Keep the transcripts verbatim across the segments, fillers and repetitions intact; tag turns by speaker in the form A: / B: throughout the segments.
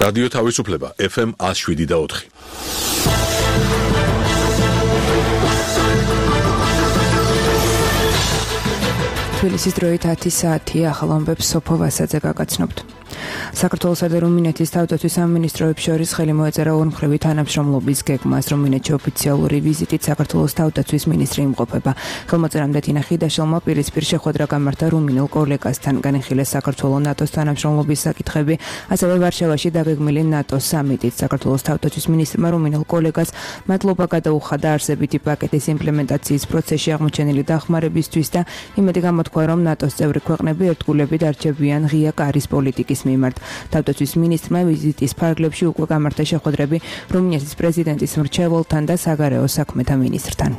A: რადიო თავისუფლება ეფ ემ one oh seven და four.
B: თბილისის დროით ათი საათია, ახალ ამბებს სოფო ვასაძე გაგაცნობთ. საქართველოსა და რუმინეთის თავდაცვის სამინისტროებს შორის ხელი მოეწერა ორმხრივი თანამშრომლობის გეგმას. რუმინეთში ოფიციალური ვიზიტით საქართველოს თავდაცვის მინისტრი იმყოფება. ხელმოწერამდე თინა ხიდაშელმა პირისპირ შეხვედრა გამართა რუმინელ კოლეგასთან. განიხილეს საქართველოს ნატოს თანამშრომლობის საკითხები, ასევე ვარშავაში დაგეგმილი ნატოს სამიტით. საქართველოს თავდაცვის მინისტრმა რუმინელ კოლეგას მადლობა გადაუხადა არსებითი პაკეტის იმპლემენტაციის პროცესში აღმოჩენილი დახმარებისთვის და იმედი გამოთქვა, რომ ნატოს წევრი ქვეყნები ერთგულებით არჩევიან ღია კარის პოლიტიკის მიმართ. თავდაცვის მინისტრმა ვიზიტის ფარგლებში უკვე გამართა შეხვედრები რუმინეთის პრეზიდენტის მრჩეველთან და საგარეო საქმეთა მინისტრთან.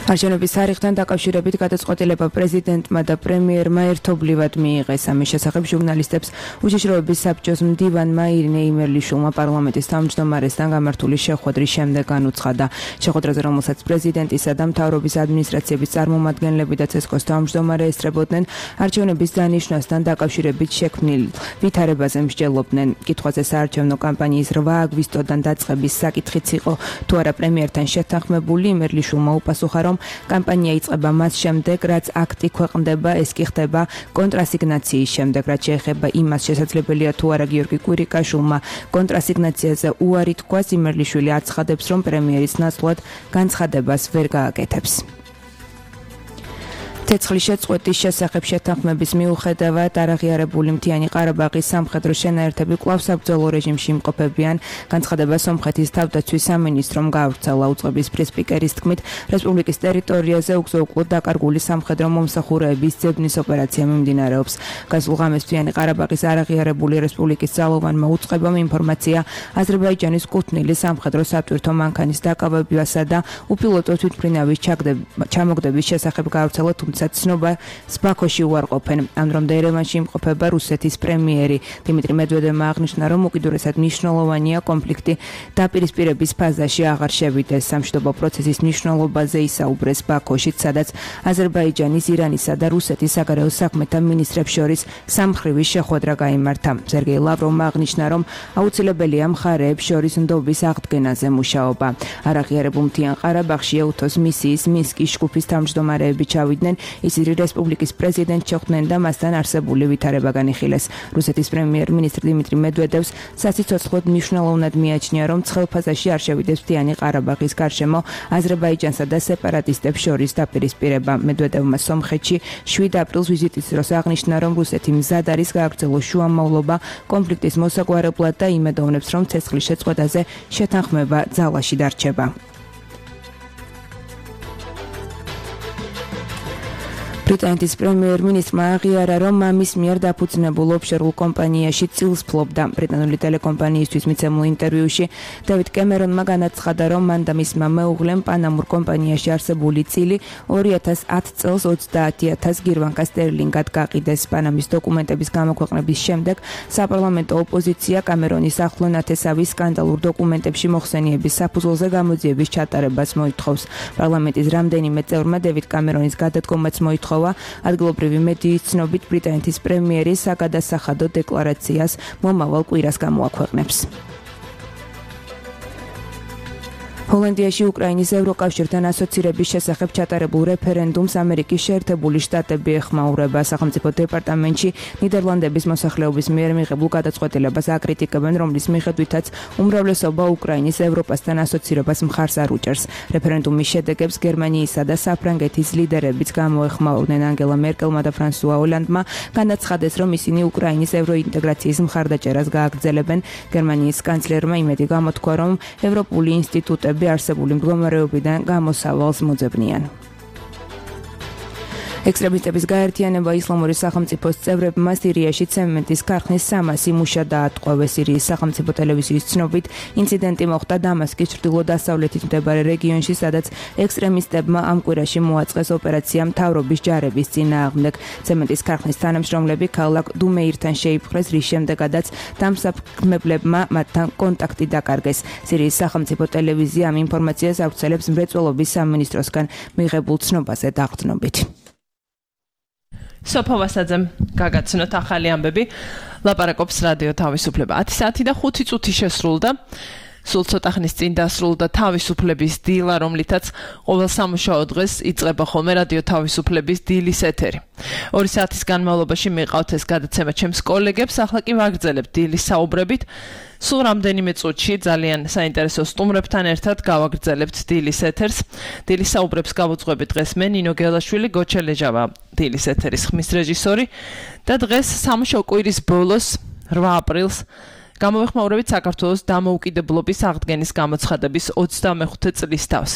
B: არჩევნების თარიღთან დაკავშირებით გადაწყვეტილება პრეზიდენტმა და პრემიერმა ერთობლივად მიიღეს. ამის შესახებ ჟურნალისტებს უშიშროების საბჭოს მდივანმა ირინე იმერლიშვილმა პარლამენტის თავმჯდომარესთან გამართული შეხვედრის შემდეგ განუცხადა. შეხვედრაზე, რომელსაც პრეზიდენტისა და მთავრობის ადმინისტრაციების წარმომადგენლები და ცესკოს თავმჯდომარე ესწრებოდნენ, არჩევნების დანიშვნასთან დაკავშირებით შექმნილ ვითარებაზე მსჯელობდნენ. კითხვაზე საარჩევნო კამპანიის რვა აგვისტოდან დაწყების საკითხიც იყო თუ არა პრემიერთან შეთანხმებული, იმერლიშვილმა უპასუხა, რომ კამპანია იწყება მას შემდეგ, რაც აქტი ქვეყნდება, ეს კი ხდება კონტრასიგნაციის შემდეგ, რაც შეეხება იმას შესაძლებელია თუ არა გიორგი კვირიკაშვილმა კონტრასიგნაციაზე უარი თქვას, იმერლიშვილი აცხადებს, რომ პრემიერის ნაცვლად განცხადებას ვერ გააკეთებს. ცეცხლის შეწყვეტის შესახებ შეთანხმების მიუხედავად არაღიარებული მთიანი ყარაბაღის სამხედრო შენაერთები კვლავ საბრძოლო რეჟიმში იმყოფებიან. განცხადება სომხეთის თავდაცვის სამინისტრომ გაავრცელა. უწყების პრეს-სპიკერის თქმით, რესპუბლიკის ტერიტორიაზე უგზო-უკვლოდ დაკარგული სამხედრო მომსახურეების ძებნის ოპერაცია მიმდინარეობს. გასულ ღამეს მთიანი ყარაბაღის არაღიარებული რესპუბლიკის ძალოვანმა უწყებამ ინფორმაცია აზერბაიჯანის კუთვნილი სამხედრო სატვირთო მანქანის დაკავებასა და უპილოტო თვითმფრინავის ჩამოგდების შესახებ გაავრცელა, თუმცა ცნობა ბაქოში უარყოფენ. ამ დრომდე ერევანში იმყოფება რუსეთის პრემიერი. დიმიტრი მედვედევმა აღნიშნა, რომ უკიდურესად მნიშვნელოვანია კონფლიქტი დაპირისპირების ფაზაში აღარ შევიდეს. სამშვიდობო პროცესის მნიშვნელობაზე ისაუბრეს ბაქოში, სადაც აზერბაიჯანის, ირანისა და რუსეთის საგარეო საქმეთა მინისტრებს შორის სამმხრივი შეხვედრა გაიმართა. სერგეი ლავროვმა აღნიშნა, რომ აუცილებელია მხარეებს შორის ნდობის აღდგენაზე მუშაობა. არაღიარებულ მთიან ყარაბაღში ეუთოს მისიის მინსკის ჯგუფის თავმჯდომარეები ჩავიდნენ. ისინი რესპუბლიკის პრეზიდენტს შეხვდნენ და მასთან არსებული ვითარება განიხილეს. რუსეთის პრემიერ-მინისტრ დიმიტრი მედვედევს სასიცოცხლოდ მნიშვნელოვნად მიაჩნია, რომ ცხელ ფაზაში არ შევიდეს მთიანი ყარაბაღის გარშემო აზერბაიჯანსა და სეპარატისტებს შორის დაპირისპირება. მედვედევმა სომხეთში შვიდ აპრილს ვიზიტის დროს აღნიშნა, რომ რუსეთი მზად არის გააგრძელოს შუამავლობა კონფლიქტის მოსაგვარებლად და იმედოვნებს, რომ ცეცხლის შეწყვეტაზე შეთანხმება ძალაში დარჩება. ბრიტანეთის პრემიერ-მინისტრმა აღიარა, რომ მამის მიერ დაფუძნებულ ოფშორულ კომპანიაში წილს ფლობდა. ბრიტანული ტელეკომპანიისთვის მიცემულ ინტერვიუში დევიდ კემერონმა განაცხადა, რომ მან და მისმა მეუღლემ პანამურ კომპანიაში არსებული წილი ორი ათას ათი წელს ოცდაათი ათას გირვანკა სტერლინგად გაყიდეს. პანამის დოკუმენტების გამოქვეყნების შემდეგ საპარლამენტო ოპოზიცია კამერონის ახლო ნათესავის სკანდალურ დოკუმენტებში მოხსენიების საფუძველზე გამოძიების ჩატარებას მოითხოვს. პარლამენტის რამდენიმე წევრმა დევიდ კამერონის გადადგომაც მოითხოვა. ადგილობრივი მედიის ცნობით, ბრიტანეთის პრემიერი საგადასახადო დეკლარაციას მომავალ კვირას გამოაქვეყნებს. ჰოლანდიაში უკრაინის ევროკავშირთან ასოცირების შესახებ ჩატარებულ რეფერენდუმს ამერიკის შეერთებული შტატები ეხმაურება. სახელმწიფო დეპარტამენტში ნიდერლანდების მოსახლეობის მიერ მიღებულ გადაწყვეტილებას აკრიტიკებენ, რომლის მიხედვითაც უმრავლესობა უკრაინის ევროპასთან ასოცირებას მხარს არ უჭერს. რეფერენდუმის შედეგებს გერმანიისა და საფრანგეთის ლიდერებიც გამოეხმაურნენ. ანგელა მერკელმა და ფრანსუა ოლანდმა განაცხადეს, რომ ისინი უკრაინის ევროინტეგრაციის მხარდაჭერას გააგრძელებენ. გერმანიის კანცლერმა იმედი გამოთქვა, რომ ევროპული ინსტიტუტები არსებული მდგომარეობიდან გამოსავალს მოძებნიან. ექსტრემისტების გაერთიანება ისლამური სახელმწიფოს წევრებმა სირიაში ცემენტის ქარხნის სამასი მუშა დაატყვევეს. სირიის სახელმწიფო ტელევიზიის ცნობით, ინციდენტი მოხდა დამასკის ჩრდილო-დასავლეთით მდებარე რეგიონში, სადაც ექსტრემისტებმა ამ კვირაში მოაწყეს ოპერაცია მთავრობის ჯარების წინააღმდეგ. ცემენტის ქარხნის თანამშრომლები ქალაქ დუმეირთან შეიპყრეს, რის შემდეგაც დამსაქმებლებმა მათთან კონტაქტი დაკარგეს. სირიის სახელმწიფო ტელევიზია ამ ინფორმაციას ავრცელებს მრეწველობის სამინისტროსგან მიღებულ ცნობაზე დაყრდნობით.
C: სოფო ვასაძემ გაგაცნოთ ახალი ამბები. ლაპარაკობს რადიო თავისუფლება. ათი საათი და ხუთი წუთი შესრულდა. სულ ცოტა ხნის წინ დასრულდა თავისუფლების დილა, რომლითაც ყოველ სამუშაო დღეს იწყება ხოლმე რადიო თავისუფლების დილის ეთერი. ორი საათის განმავლობაში მიყავთ ეს გადაცემა ჩემს კოლეგებს, ახლა კი ვაგრძელებთ დილის საუბრებით. სულ რამდენიმე წუთში ძალიან საინტერესო სტუმრებთან ერთად გავაგრძელებთ დილის ეთერს. დილის საუბრებს გავუძღვები დღეს მე, ნინო გელაშვილი, გოჩელეჟავა დილის ეთერის ხმის რეჟისორი და დღეს სამუშაო კვირის ბოლოს, რვა აპრილს გამოვეხმაურებით საქართველოს დამოუკიდებლობის აღდგენის გამოცხადების ოცდამეხუთე წლის თავს.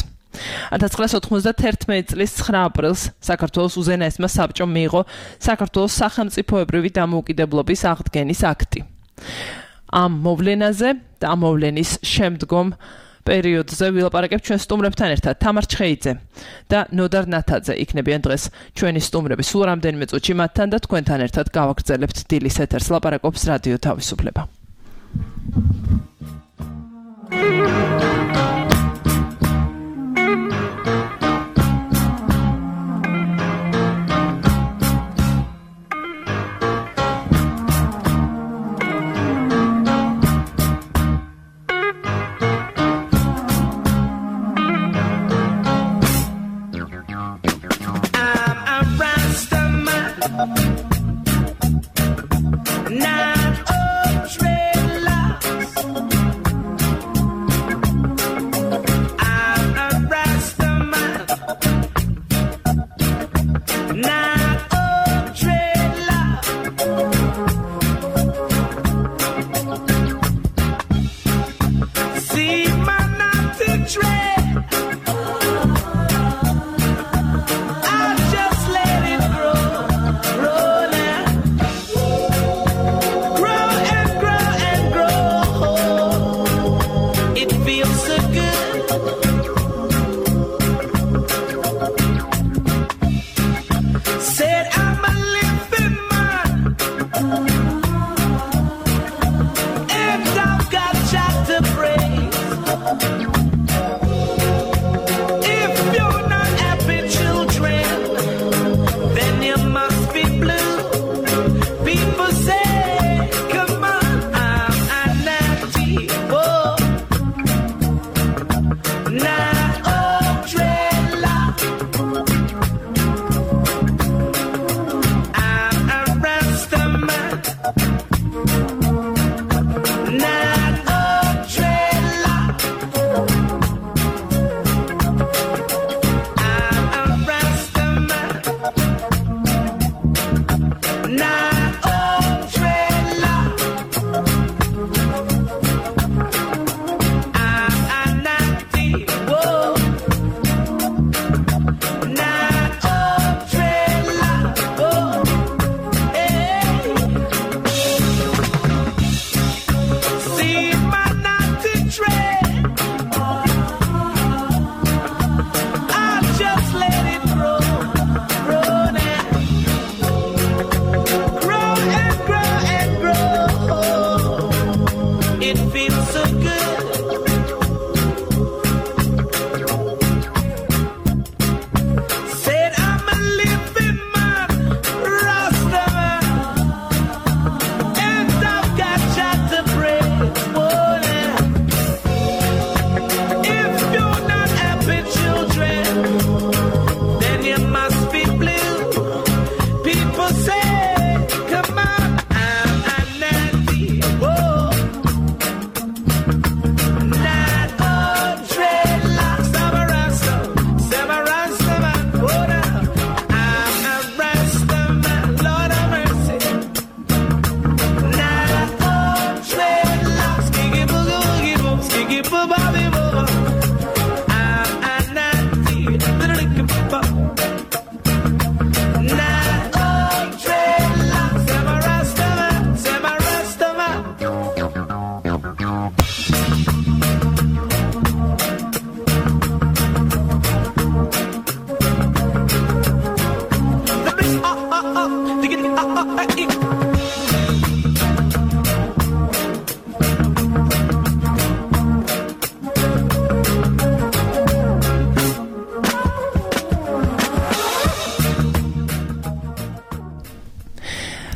C: ათას ცხრაასი ოთხმოცდაათი წლის ცხრა აპრილს საქართველოს უზენაესმა საბჭომ მიიღო საქართველოს სახელმწიფოებრივი დამოუკიდებლობის აღდგენის აქტი. ამ მოვლენაზე და ამ მოვლენის შემდგომ პერიოდზე ვილაპარაკებთ ჩვენ სტუმრებთან ერთად. თამარ ჩხეიძე და ნოდარ ნათაძე იქნებიან დღეს ჩვენი სტუმრები. სულ რამდენიმე წუთში მათთან და თქვენთან ერთად გავაგრძელებთ დილის ეთერს. ლაპარაკობს რადიო თავისუფლება.
D: Not all dreadlocks.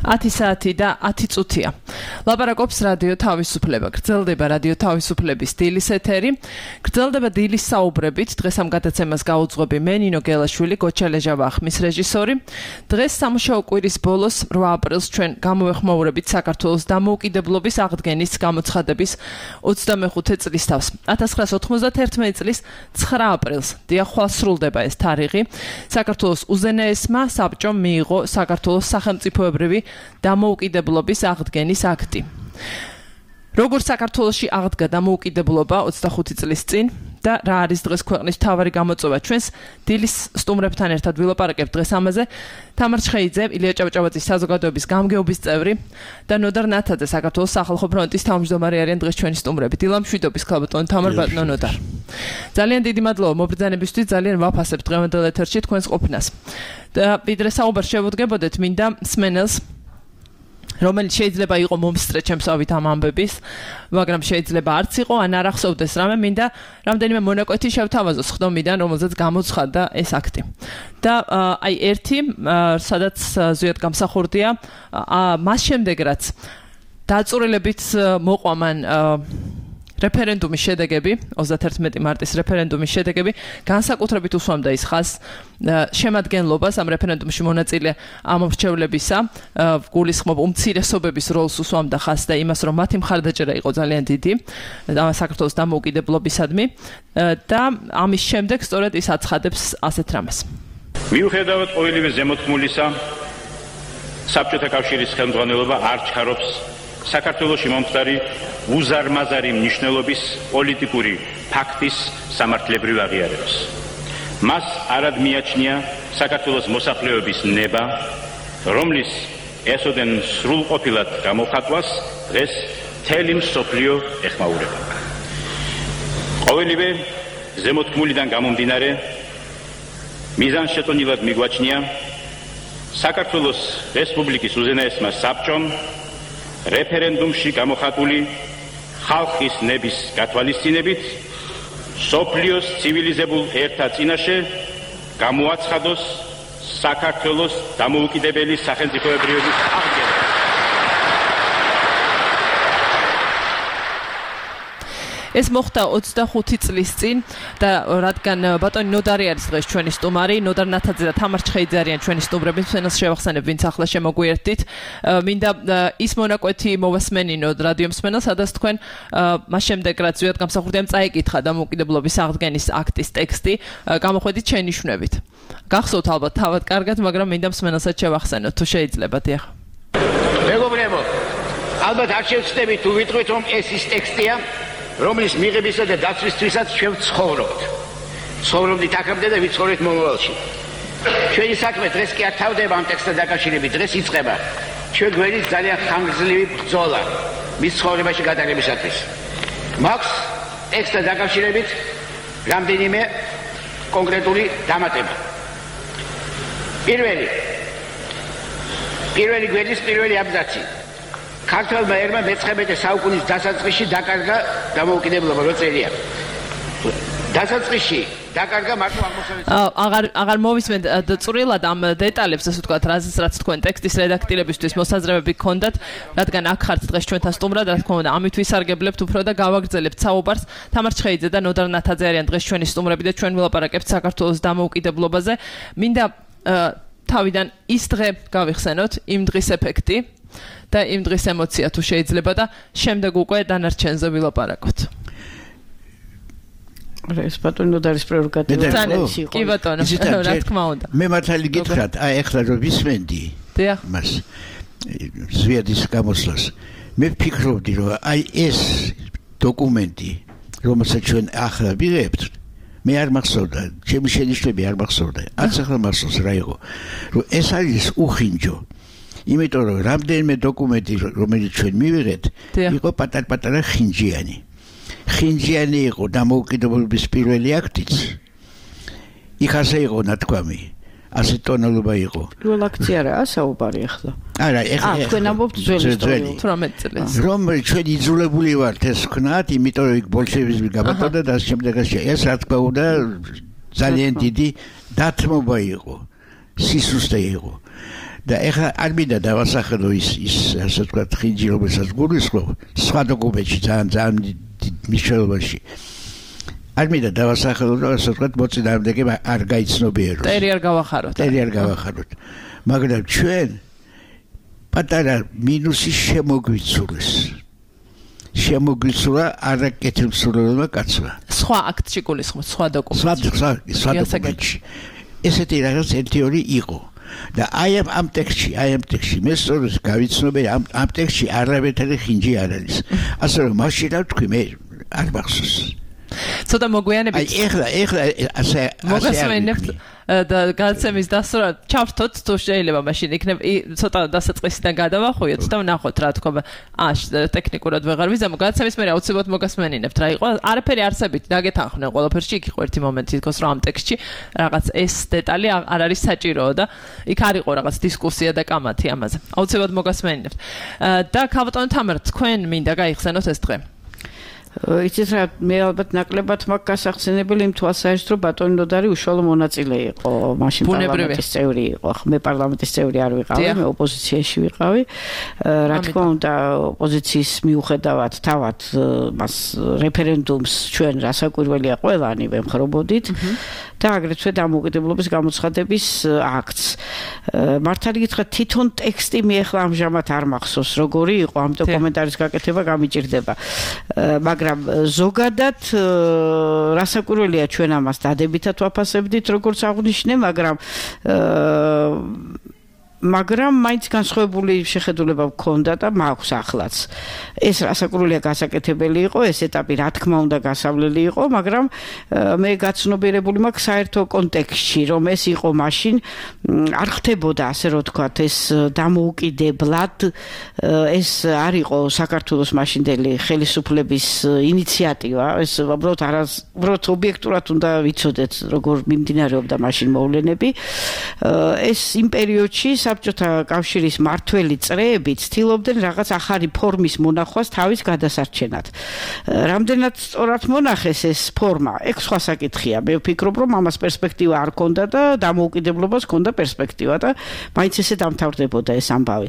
C: ათი საათი და ათი წუთია. ლაპარაკობს რადიო თავისუფლება. გრძელდება რადიო თავისუფლების დილის ეთერი. გრძელდება დილის საუბრებით. დღეს ამ გადაცემას გაუძღვები მე ნინო გელაშვილი, გოჩალეჟა ვახმის რეჟისორი. დღეს სამუშაო კვირის ბოლოს რვა აპრილს ჩვენ გამოვეხმაურებით საქართველოს დამოუკიდებლობის აღდგენის გამოცხადების ოცდამეხუთე წლისთავს. ათას ცხრაას ოთხმოცდაათი წლის ცხრა აპრილს. დიახ, ხვალ სრულდება ეს თარიღი. საქართველოს უზენაესმა საბჭომ მიიღო საქართველოს სახელმწიფოებრივი დამოუკიდებლობის აღდგენის აქტი. როგორც საქართველოში აღდგა დამოუკიდებლობა ოცდახუთი წლის წინ და რა არის დღეს ქვეყნის მთავარი გამოწვევა ჩვენს დილის სტუმრებთან ერთად ვილაპარაკებთ დღეს ამაზე. თამარ ჩხეიძე, ილია ჭავჭავაძის საზოგადოების გამგეობის წევრი და ნოდარ ნათაძე, საქართველოს სახალხო ფრონტის თავმჯდომარე არიან დღეს ჩვენი სტუმრები. დილა მშვიდობის ქალბატონო თამარ ბატონო ნოდარ. ძალიან დიდი მადლობა მობრძანებისთვის, ძალიან ვაფასებ დღევანდელ ეთერში თქვენს ყოფნას. და ვიდრე საუბარს შევუდგებოდეთ, მინდა მსმენელს რომელიც შეიძლება იყო მომსწრე ჩემსავით ამ ამბების, მაგრამ შეიძლება არც იყო, ან არ ახსოვდეს რამე, მინდა რამდენიმე მონაკვეთი შევთავაზოს ხდომიდან, რომელზეც გამოცხადდა ეს აქტი. და აი ერთი, სადაც ზუსტად გამსახურდია, მას შემდეგ რაც დაწურილებით მოყვა მან რეფერენდუმის შედეგები, ოცდაათი მარტის რეფერენდუმის შედეგები, განსაკუთრებით უსვამდა ის ხაზს შემადგენლობას ამ რეფერენდუმში მონაწილე ამორჩევლებისა, გულისხმობ უმცირესობების როლს უსვამდა ხაზს და იმას, რომ მათი მხარდაჭერა იყო ძალიან დიდი საქართველოს დამოუკიდებლობისადმი და ამის შემდეგ სწორედ ის აცხადებს ასეთ რამეს.
D: მიუხედავად ყოველივე ზემოთქმულისა, საბჭოთა კავშირის ხელმძღვანელობა არ ჩქარობს საქართველოში მომხდარი უზარმაზარი მნიშვნელობის პოლიტიკური ფაქტის სამართლებრივ აღიარებას. მას არად მიაჩნია საქართველოს მოსახლეობის ნება, რომლის ესოდენ სრულყოფილად გამოხატვას დღეს მთელი მსოფლიო ეხმაურება. ყოველივე ზემოთქმულიდან გამომდინარე, მიზანშეწონილად მიგვაჩნია საქართველოს რესპუბლიკის უზენაესმა საბჭომ რეფერენდუმში გამოხატული ხალხის ნების გათვალისწინებით სოფლიოს ცივილიზებულ ერთა წინაშე გამოაცხადოს საქართველოს დამოუკიდებელი სახელმწიფოებრიობის აღდგენა.
C: ეს მოხდა ოცდახუთი წლის წინ და რადგან ბატონი ნოდარი არის დღეს ჩვენი სტუმარი, ნოდარ ნათაძე და თამარ ჩხეიძე არიან ჩვენი სტუმრები, მსმენელს შევახსენებ, ვინც ახლა შემოგვიერთდით. მინდა ის მონაკვეთი მოვასმენინოთ რადიო მსმენელს, სადაც თქვენ მას შემდეგ რაც ზუსტად გამსახურდია წაიკითხა დამოუკიდებლობის აღდგენის აქტის ტექსტი, გამოხვედით შენიშვნებით. გახსოვთ ალბათ თავად კარგად, მაგრამ მინდა მსმენელსაც შევახსენოთ, თუ შეიძლება, დიახ.
E: მეგობრებო, ალბათ არ შევცდებით თუ ვიტყვით, რომ ეს ის ტექსტია, რომლის მიღებისა და დაცვისთვისაც ჩვენ ვცხოვრობთ. ცხოვრობდით აქამდე და ვიცხოვრეთ მომავალში. ჩვენი საქმე დღეს კი არ თავდება ამ ტექსტთან დაკავშირებით, დღეს იწყება ჩვენ გვერდის ძალიან ხანგრძლივი ბრძოლა მის ცხოვრებაში გადაღებისათვის. მაქვს ტექსტთან დაკავშირებით რამდენიმე კონკრეტული დამატება. პირველი პირველი გვერდის პირველი აბზაცი. ქართველმა ერმა მეცხრამეტე საუკუნის დასაწყისში დაკარგა დამოუკიდებლობა, რო წერია. დასაწყისში დაკარგა მარტო აღმოსავლეთ.
C: აღარ აღარ მოვისმენთ წვრილად ამ დეტალებს, ასე ვთქვათ, რაზეც რაც თქვენ ტექსტის რედაქტირებისთვის მოსაზრებები გქონდათ, რადგან აქ ხართ დღეს ჩვენთან სტუმრად, რა თქმა უნდა, ამით ვისარგებლებთ უფრო და გავაგრძელებთ საუბარს. თამარ ჩხეიძე და ნოდარ ნათაძე არიან დღეს ჩვენი სტუმრები და ჩვენ ვილაპარაკებთ საქართველოს დამოუკიდებლობაზე. მინდა თავიდან ის დღე გავიხსენოთ, იმ დღის ეფექტი და იმ დღის ემოცია თუ შეიძლება და შემდეგ უკვე დანარჩენზე ვილაპარაკოთ.
F: ეს ბატონო და არის პრეროგატივა.
C: კი ბატონო, რა თქმა უნდა.
G: მე მართალი გითხრათ, აი ახლა რომ ვისმენდი.
C: დიახ.
G: მას ზვიადის გამოსვლას. მე ვფიქრობდი რომ აი ეს დოკუმენტი, რომელსაც ჩვენ ახლა ვიღებთ, მე არ მახსოვდა, ჩემი შენიშვნები არ მახსოვდა. არც ახლა მახსოვს რა იყო. რომ ეს არის უხინჯო. იმიტომ რომ რამდენიმე დოკუმენტი რომელიც ჩვენ მივიღეთ, იყო პატარ-პატარა ხინჯიანი. ხინჯიანი იყო დამოუკიდებლობის პირველი აქტიც. იქ ასე იყო ნათქვამი. ასე ტონალობა იყო.
F: პირველ აქტი არაა საუბარი ახლა.
G: არა, ახლა
F: თქვენ ამბობთ ძველი
C: თვრამეტ წელს.
G: რომ ჩვენ იძულებული ვართ ეს ვქნათ, იმიტომ რომ იქ ბოლშევიზმი გაბატონდა და შემდეგაც ეს რა თქმა უნდა ძალიან დიდი დათმობა იყო. სისუსტე იყო. და ეხლა არ მინდა დავასახელო ის ის ასე ვთქვათ ხინჯი რომელსაც გულისხმობ სხვა დოკუმენტში ძალიან ძალიან მნიშვნელობაში არ მინდა დავასახელო და ასე ვთქვათ მოწინააღმდეგე არ გაიცნობიეროს
C: ტერი არ გავახაროთ
G: ტერი არ გავახაროთ მაგრამ ჩვენ პატარა მინუსი შემოგვიცურეს შემოგვიცურა არაკეთილსურელმა კაცმა
C: სხვა აქტში გულისხმობ სხვა დოკუმენტში
G: სხვა სხვა დოკუმენტში ესეთი რაღაც ერთი ორი იყო და აი ამ ტექსტში აი ამ ტექსტში მე სწორედ გავიცნობე ამ ამ ტექსტში არავითარი ხინჯი არ არის ასე რომ მაშინ რა ვთქვი მე არ მახსოვს
C: ცოტა მოგვიანებით
G: აი ეხლა ეხლა ასე
C: მოგასმენებთ და გადაცემის დასურა ჩავთოთ თუ შეიძლება მაშინ იქნებ ცოტა დასაწყისიდან გადავახვიოთ და ვნახოთ რა თქმა აა ტექნიკურად ვეღარ ვიზამო გადაცემის მერე აუცილებლად მოგასმენინებთ რა იყო არაფერი არსებით დაგეთანხმდნენ ყველაფერში იქ იყო ერთი მომენტი თქოს რომ ამ ტექსტში რაღაც ეს დეტალი არ არის საჭიროა და იქ არ იყო რაღაც დისკუსია და კამათი ამაზე აუცილებლად მოგასმენინებთ და ქალბატონო თამარ თქვენ მინდა გაიხსენოთ ეს დღე
F: იცით რა მე ალბათ ნაკლებად მაქვს გასახსენებელი იმ თვალსაჩინო რომ ბატონი ნოდარი უშუალო მონაწილე იყო მაშინ პარლამენტის წევრი იყო მე პარლამენტის წევრი არ ვიყავი მე ოპოზიციაში ვიყავი რა თქმა უნდა ოპოზიციის მიუხედავად თავად მას რეფერენდუმს ჩვენ რასაკვირველია ყველანი ვემხრობოდით და აგრეთვე დამოუკიდებლობის გამოცხადების აქტს მართალი გითხრათ თვითონ ტექსტი მე ახლა ამჟამად არ მახსოვს როგორი იყო ამ დოკუმენტარის გაკეთება გამიჭირდება მაგრამ ზოგადად რასაკვირველია ჩვენ ამას დადებითად ვაფასებდით როგორც აღნიშნე მაგრამ მაგრამ მაინც განსხვავებული შეხედულება მქონდა და მაქვს ახლაც ეს რასაკვირველია გასაკეთებელი იყო ეს ეტაპი რა თქმა უნდა გასავლელი იყო მაგრამ მე გაცნობიერებული მაქვს საერთო კონტექსტში რომ ეს იყო მაშინ არ ხდებოდა ასე რომ ვთქვათ ეს დამოუკიდებლად ეს არ იყო საქართველოს მაშინდელი ხელისუფლების ინიციატივა ეს უბრალოდ არას უბრალოდ ობიექტურად უნდა ვიცოდეთ როგორ მიმდინარეობდა მაშინ მოვლენები ეს იმ პერიოდში საბჭოთა კავშირის მართველი წრეები ცდილობდნენ რაღაც ახალი ფორმის მონახვას თავის გადასარჩენად. რამდენად სწორად მონახეს ეს ფორმა, ეგ სხვა საკითხია. მე ვფიქრობ, რომ ამას პერსპექტივა არ ქონდა და დამოუკიდებლობას ქონდა პერსპექტივა და მაინც ესე დამთავრდებოდა ეს ამბავი.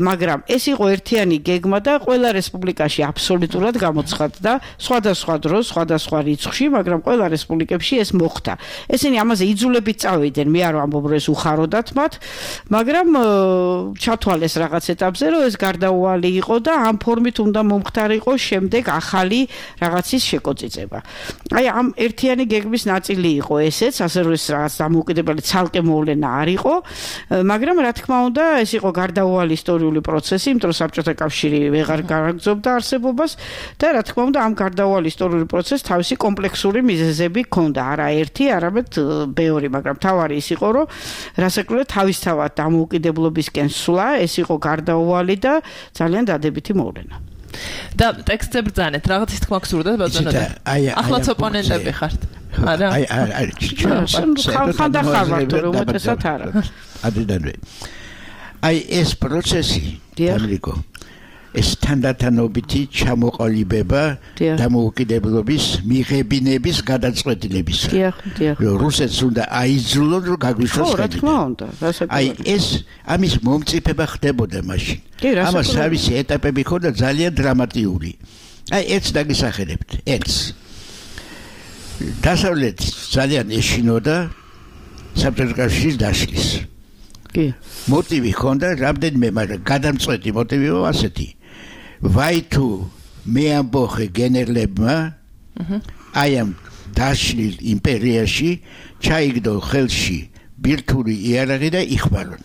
F: მაგრამ ეს იყო ერთიანი გეგმა და ყველა რესპუბლიკაში აბსოლუტურად გამოცხადდა სხვადასხვა დროს, სხვადასხვა რიცხვში, მაგრამ ყველა რესპუბლიკებში ეს მოხდა. ესენი ამაზე იძულებით წავიდნენ, მე არ ვამბობ, რომ ეს უხაროდათ მათ, მაგრამ ჩათვალეს რაღაც ეტაპზე, რომ ეს გარდაუვალი იყო და ამ ფორმით უნდა მომხდარიყო შემდეგ ახალი რაღაცის შეკოწიწება. აი ამ ერთიანი გეგმის ნაწილი იყო ესეც, ასე რომ ეს რაღაც დამოუკიდებელი ცალკე მოვლენა არ იყო, მაგრამ რა თქმა უნდა, ეს იყო გარდაუვალი ისტორიული პროცესი, იმიტომ რომ საბჭოთა კავშირი ვეღარ გააგრძობდა არსებობას და რა თქმა უნდა, ამ გარდაუვალი ისტორიული პროცესს თავისი კომპლექსური მიზეზები ჰქონდა, არა ერთი, არამედ ბევრი, მაგრამ თავარი ის იყო, რომ რასაკვირველია თავისთავად დამოუკიდებლობისკენ სვლა, ეს იყო გარდაუვალი და ძალიან დადებითი მოვლენა.
C: და ტექსტზე ბრძანეთ, რაღაცის თქმა გსურდა ბატონო. ახლაც ოპონენტები ხართ. არა?
G: აი აი აი.
F: ხალხთან ხართ, რომ უმეტესად არა.
G: ადიდანვე. აი ეს პროცესი, ამრიგო. ეს თანდათანობითი ჩამოყალიბება დამოუკიდებლობის მიღებინების გადაწყვეტილების.
F: დიახ, დიახ.
G: რუსეთს უნდა აიძულონ, რომ გაგვიშვას
F: ხო, რა თქმა უნდა.
G: აი ეს ამის მომწიფება ხდებოდა მაშინ. ამას თავისი ეტაპები ხოდა ძალიან დრამატიული. აი ეს დაგისახელებთ, ეს. დასავლეთ ძალიან ეშინოდა საბჭოთა კავშირის დაშლის.
F: კი.
G: მოტივი ხონდა რამდენიმე, მაგრამ გადამწყვეტი მოტივი იყო ასეთი. ვაი თუ მე ამბოხე გენერლებმა აი ამ დაშლილ იმპერიაში ჩაიგდო ხელში ბირთვული იარაღი და იხმარონ.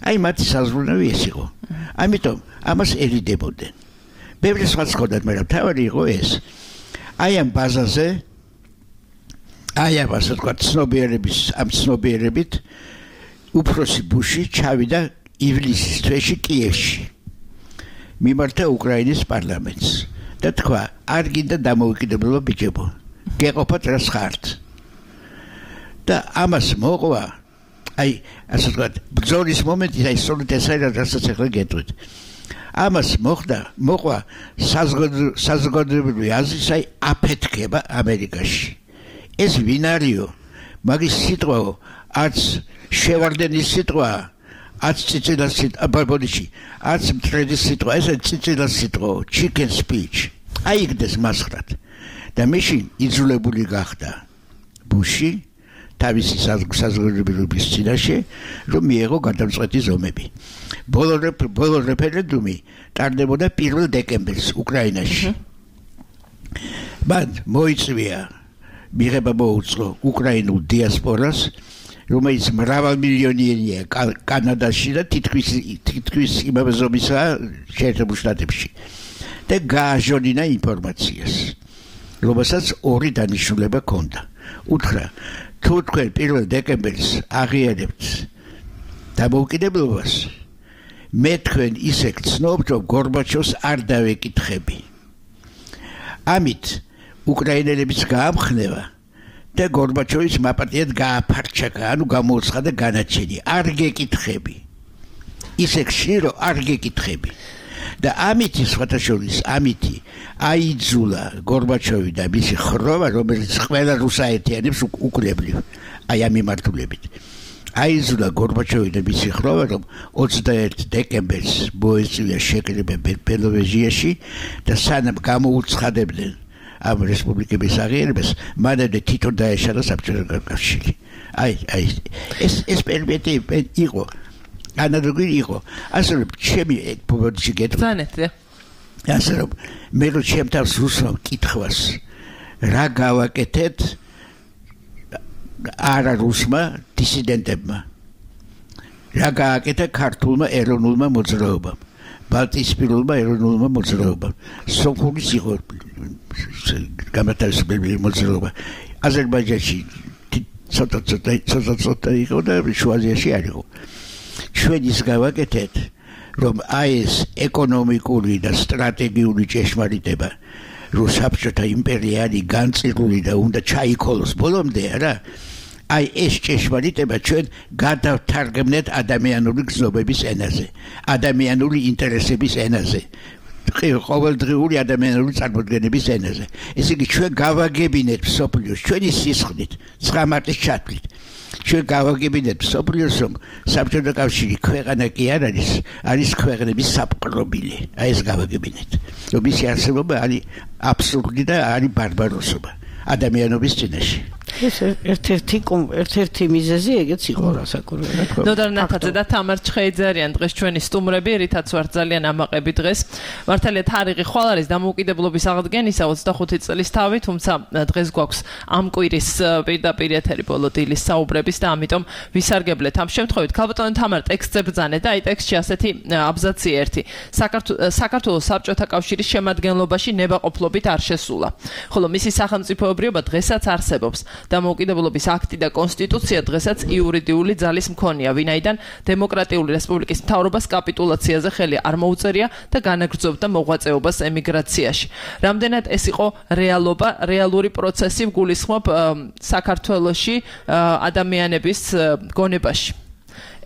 G: აი მათი საზრუნავი ეს იყო. ამიტომ ამას ერიდებოდნენ. ბევრი სხვა ხონდათ, მაგრამ თავი იყო ეს. აი ამ ბაზაზე აი ამ ასე ვთქვათ ცნობიერების ამ ცნობიერებით უფროსი ბუში ჩავიდა ივლისის თვეში კიევში. მიმართა უკრაინის პარლამენტს და თქვა, არ გინდა დამოუკიდებლობა ბიჭებო. გეყოფათ რას ხართ. და ამას მოყვა, აი, ასე ვთქვათ, ბრძოლის მომენტი, აი, სწორედ ეს არის, რასაც ახლა გეტყვით. ამას მოხდა, მოყვა საზოგადოებრივი აზრის, აი, აფეთქება ამერიკაში. ეს ვინ არისო? მაგის სიტყვაო, არც შევარდენის სიტყვა, აც წიწილას სიტყვა ბაბოლიში აც მტრედის სიტყვა ეს წიწილას სიტყვა chicken speech აიგდეს მასხრად და მაშინ იძულებული გახდა ბუში თავისი საზოგადოების წინაშე რომ მიეღო გადამწყვეტი ზომები ბოლო ბოლო რეფერენდუმი ტარდებოდა პირველ დეკემბერს უკრაინაში მან მოიწვია მიღება მოუწყო უკრაინულ დიასპორას რომელიც მრავალმილიონიანია კანადაში და თითქმის თითქმის იმავე ზომისაა შეერთებულ შტატებში და გააჟონინა ინფორმაციას რომელსაც ორი დანიშნულება ჰქონდა უთხრა თუ თქვენ პირველ დეკემბერს აღიარებთ დამოუკიდებლობას მე თქვენ ისე გცნობთ რომ გორბაჩოვს არ დავეკითხები ამით უკრაინელებიც გაამხნევა და გორბაჩოვის მაპატიად გააფარჩაკა ანუ გამოუცხადა განაჩენი არ გეკითხები ისე ხშირო არ გეკითხები და ამით სხვათა შორის ამითი აიძულა გორბაჩოვი და მისი ხროვა რომელიც ყველა რუსაერთიანებს უკვლებლივ აი ამ მიმართულებით აიძულა გორბაჩოვი და მისი ხროვა რომ ოცდაერთი დეკემბერს მოეწვია შეკრება ბელოვეჟიაში და სანამ გამოუცხადებდნენ ამ რესპუბლიკების აღიარებას მანამდე თვითონ დაეშალა საბჭოთა კავშირი აი აი ეს ეს პერიოდი იყო ანალოგი იყო ასე რომ ჩემი პოპულაცია გეტყვი
C: ზანეთე
G: ასე რომ მე რო ჩემთავს რუსულ კითხვას რა გავაკეთეთ არა რუსმა დისიდენტებმა რა გააკეთა ქართულმა ეროვნულმა მოძრაობამ ბალტიისპირულმა ეროვნულმა მოძრაობამ სომხურის იყო გამათავისუფლებელი მოძრაობა აზერბაიჯანში ცოტა ცოტა ცოტა ცოტა იყო და შუა აზიაში არ იყო ჩვენ ის გავაკეთეთ რომ აი ეს ეკონომიკური და სტრატეგიული ჭეშმარიტება რომ საბჭოთა იმპერია არის განწირული და უნდა ჩაიქოლოს ბოლომდე არა აი ეს ჭეშმარიტება ჩვენ გადავთარგმნეთ ადამიანური გზნობების ენაზე ადამიანური ინტერესების ენაზე ყოველდღიური ადამიანური წარმოდგენების ენაზე ესე იგი ჩვენ გავაგებინეთ სოფლიოს ჩვენი სისხლით ცხრა მარტის ჩათვლით ჩვენ გავაგებინეთ სოფლიოს რომ საბჭოთა კავშირი ქვეყანა კი არ არის არის ქვეყნების საპყრობილი აი ეს გავაგებინეთ რომ მისი არსებობა არის აბსურდი და არის ბარბაროსობა ადამიანობის წინაშე
F: ეს ერთ-ერთი ერთ-ერთი მიზეზი ეგეც იყო რასაკურველად.
C: ნოდარ ნათაძე და თამარ ჩხეიძე დღეს ჩვენი სტუმრები, რითაც ვართ ძალიან ამაყები დღეს. მართალია თარიღი ხვალ არის დამოუკიდებლობის აღდგენისა ოცდახუთი წლის თავი, თუმცა დღეს გვაქვს ამ კვირის პირდაპირ ეთერი ბოლო დილის საუბრების და ამიტომ ვისარგებლეთ ამ შემთხვევით. ქალბატონო თამარ ტექსტზე ბრძანეთ და აი ტექსტში ასეთი აბზაცი ერთი. საქართველოს საბჭოთა კავშირის შემადგენლობაში ნებაყოფლობით არ შესულა. ხოლო მისი სახელმწიფოებრიობა დღესაც არსებობს. დამოუკიდებლობის აქტი და კონსტიტუცია დღესაც იურიდიული ძალის მქონეა, ვინაიდან დემოკრატიული რესპუბლიკის მთავრობას კაპიტულაციაზე ხელი არ მოუწერია და განაგრძობდა მოღვაწეობას ემიგრაციაში. რამდენად ეს იყო რეალობა, რეალური პროცესი ვგულისხმობ საქართველოში ადამიანების გონებაში.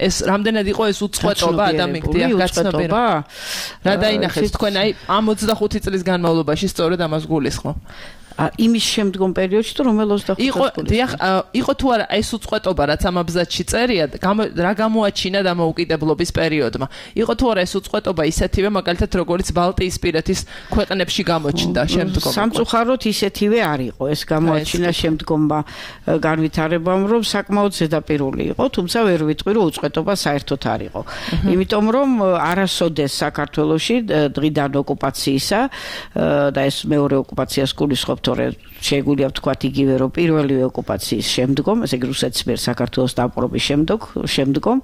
C: ეს რამდენად იყო ეს უწყვეტობა ადამიანის გაცნობიერება? რა დაინახეთ თქვენ აი ამ ოცდახუთი წლის განმავლობაში სწორედ ამას გულისხმობ?
F: იმის შემდგომ პერიოდში თუ რომელ ოცდახუთი
C: იყო დიახ იყო თუ არა ეს უწყვეტობა რაც ამ აბზაცში წერია რა გამოაჩინა დამოუკიდებლობის პერიოდმა იყო თუ არა ეს უწყვეტობა ისეთივე მაგალითად როგორც ბალტიისპირეთის ქვეყნებში გამოჩნდა შემდგომ
F: სამწუხაროდ ისეთივე არ იყო ეს გამოაჩინა შემდგომმა განვითარებამ რომ საკმაოდ ზედაპირული იყო თუმცა ვერ ვიტყვი რომ უწყვეტობა საერთოდ არ იყო იმიტომ რომ არასოდეს საქართველოში დღიდან ოკუპაციისა და ეს მეორე ოკუპაციას გულისხმობთ შეგვიძლია ვთქვათ იგივე რომ პირველივე ოკუპაციის შემდგომ, ესე იგი რუსეთის მიერ საქართველოს დაპყრობის შემდგომ, შემდგომ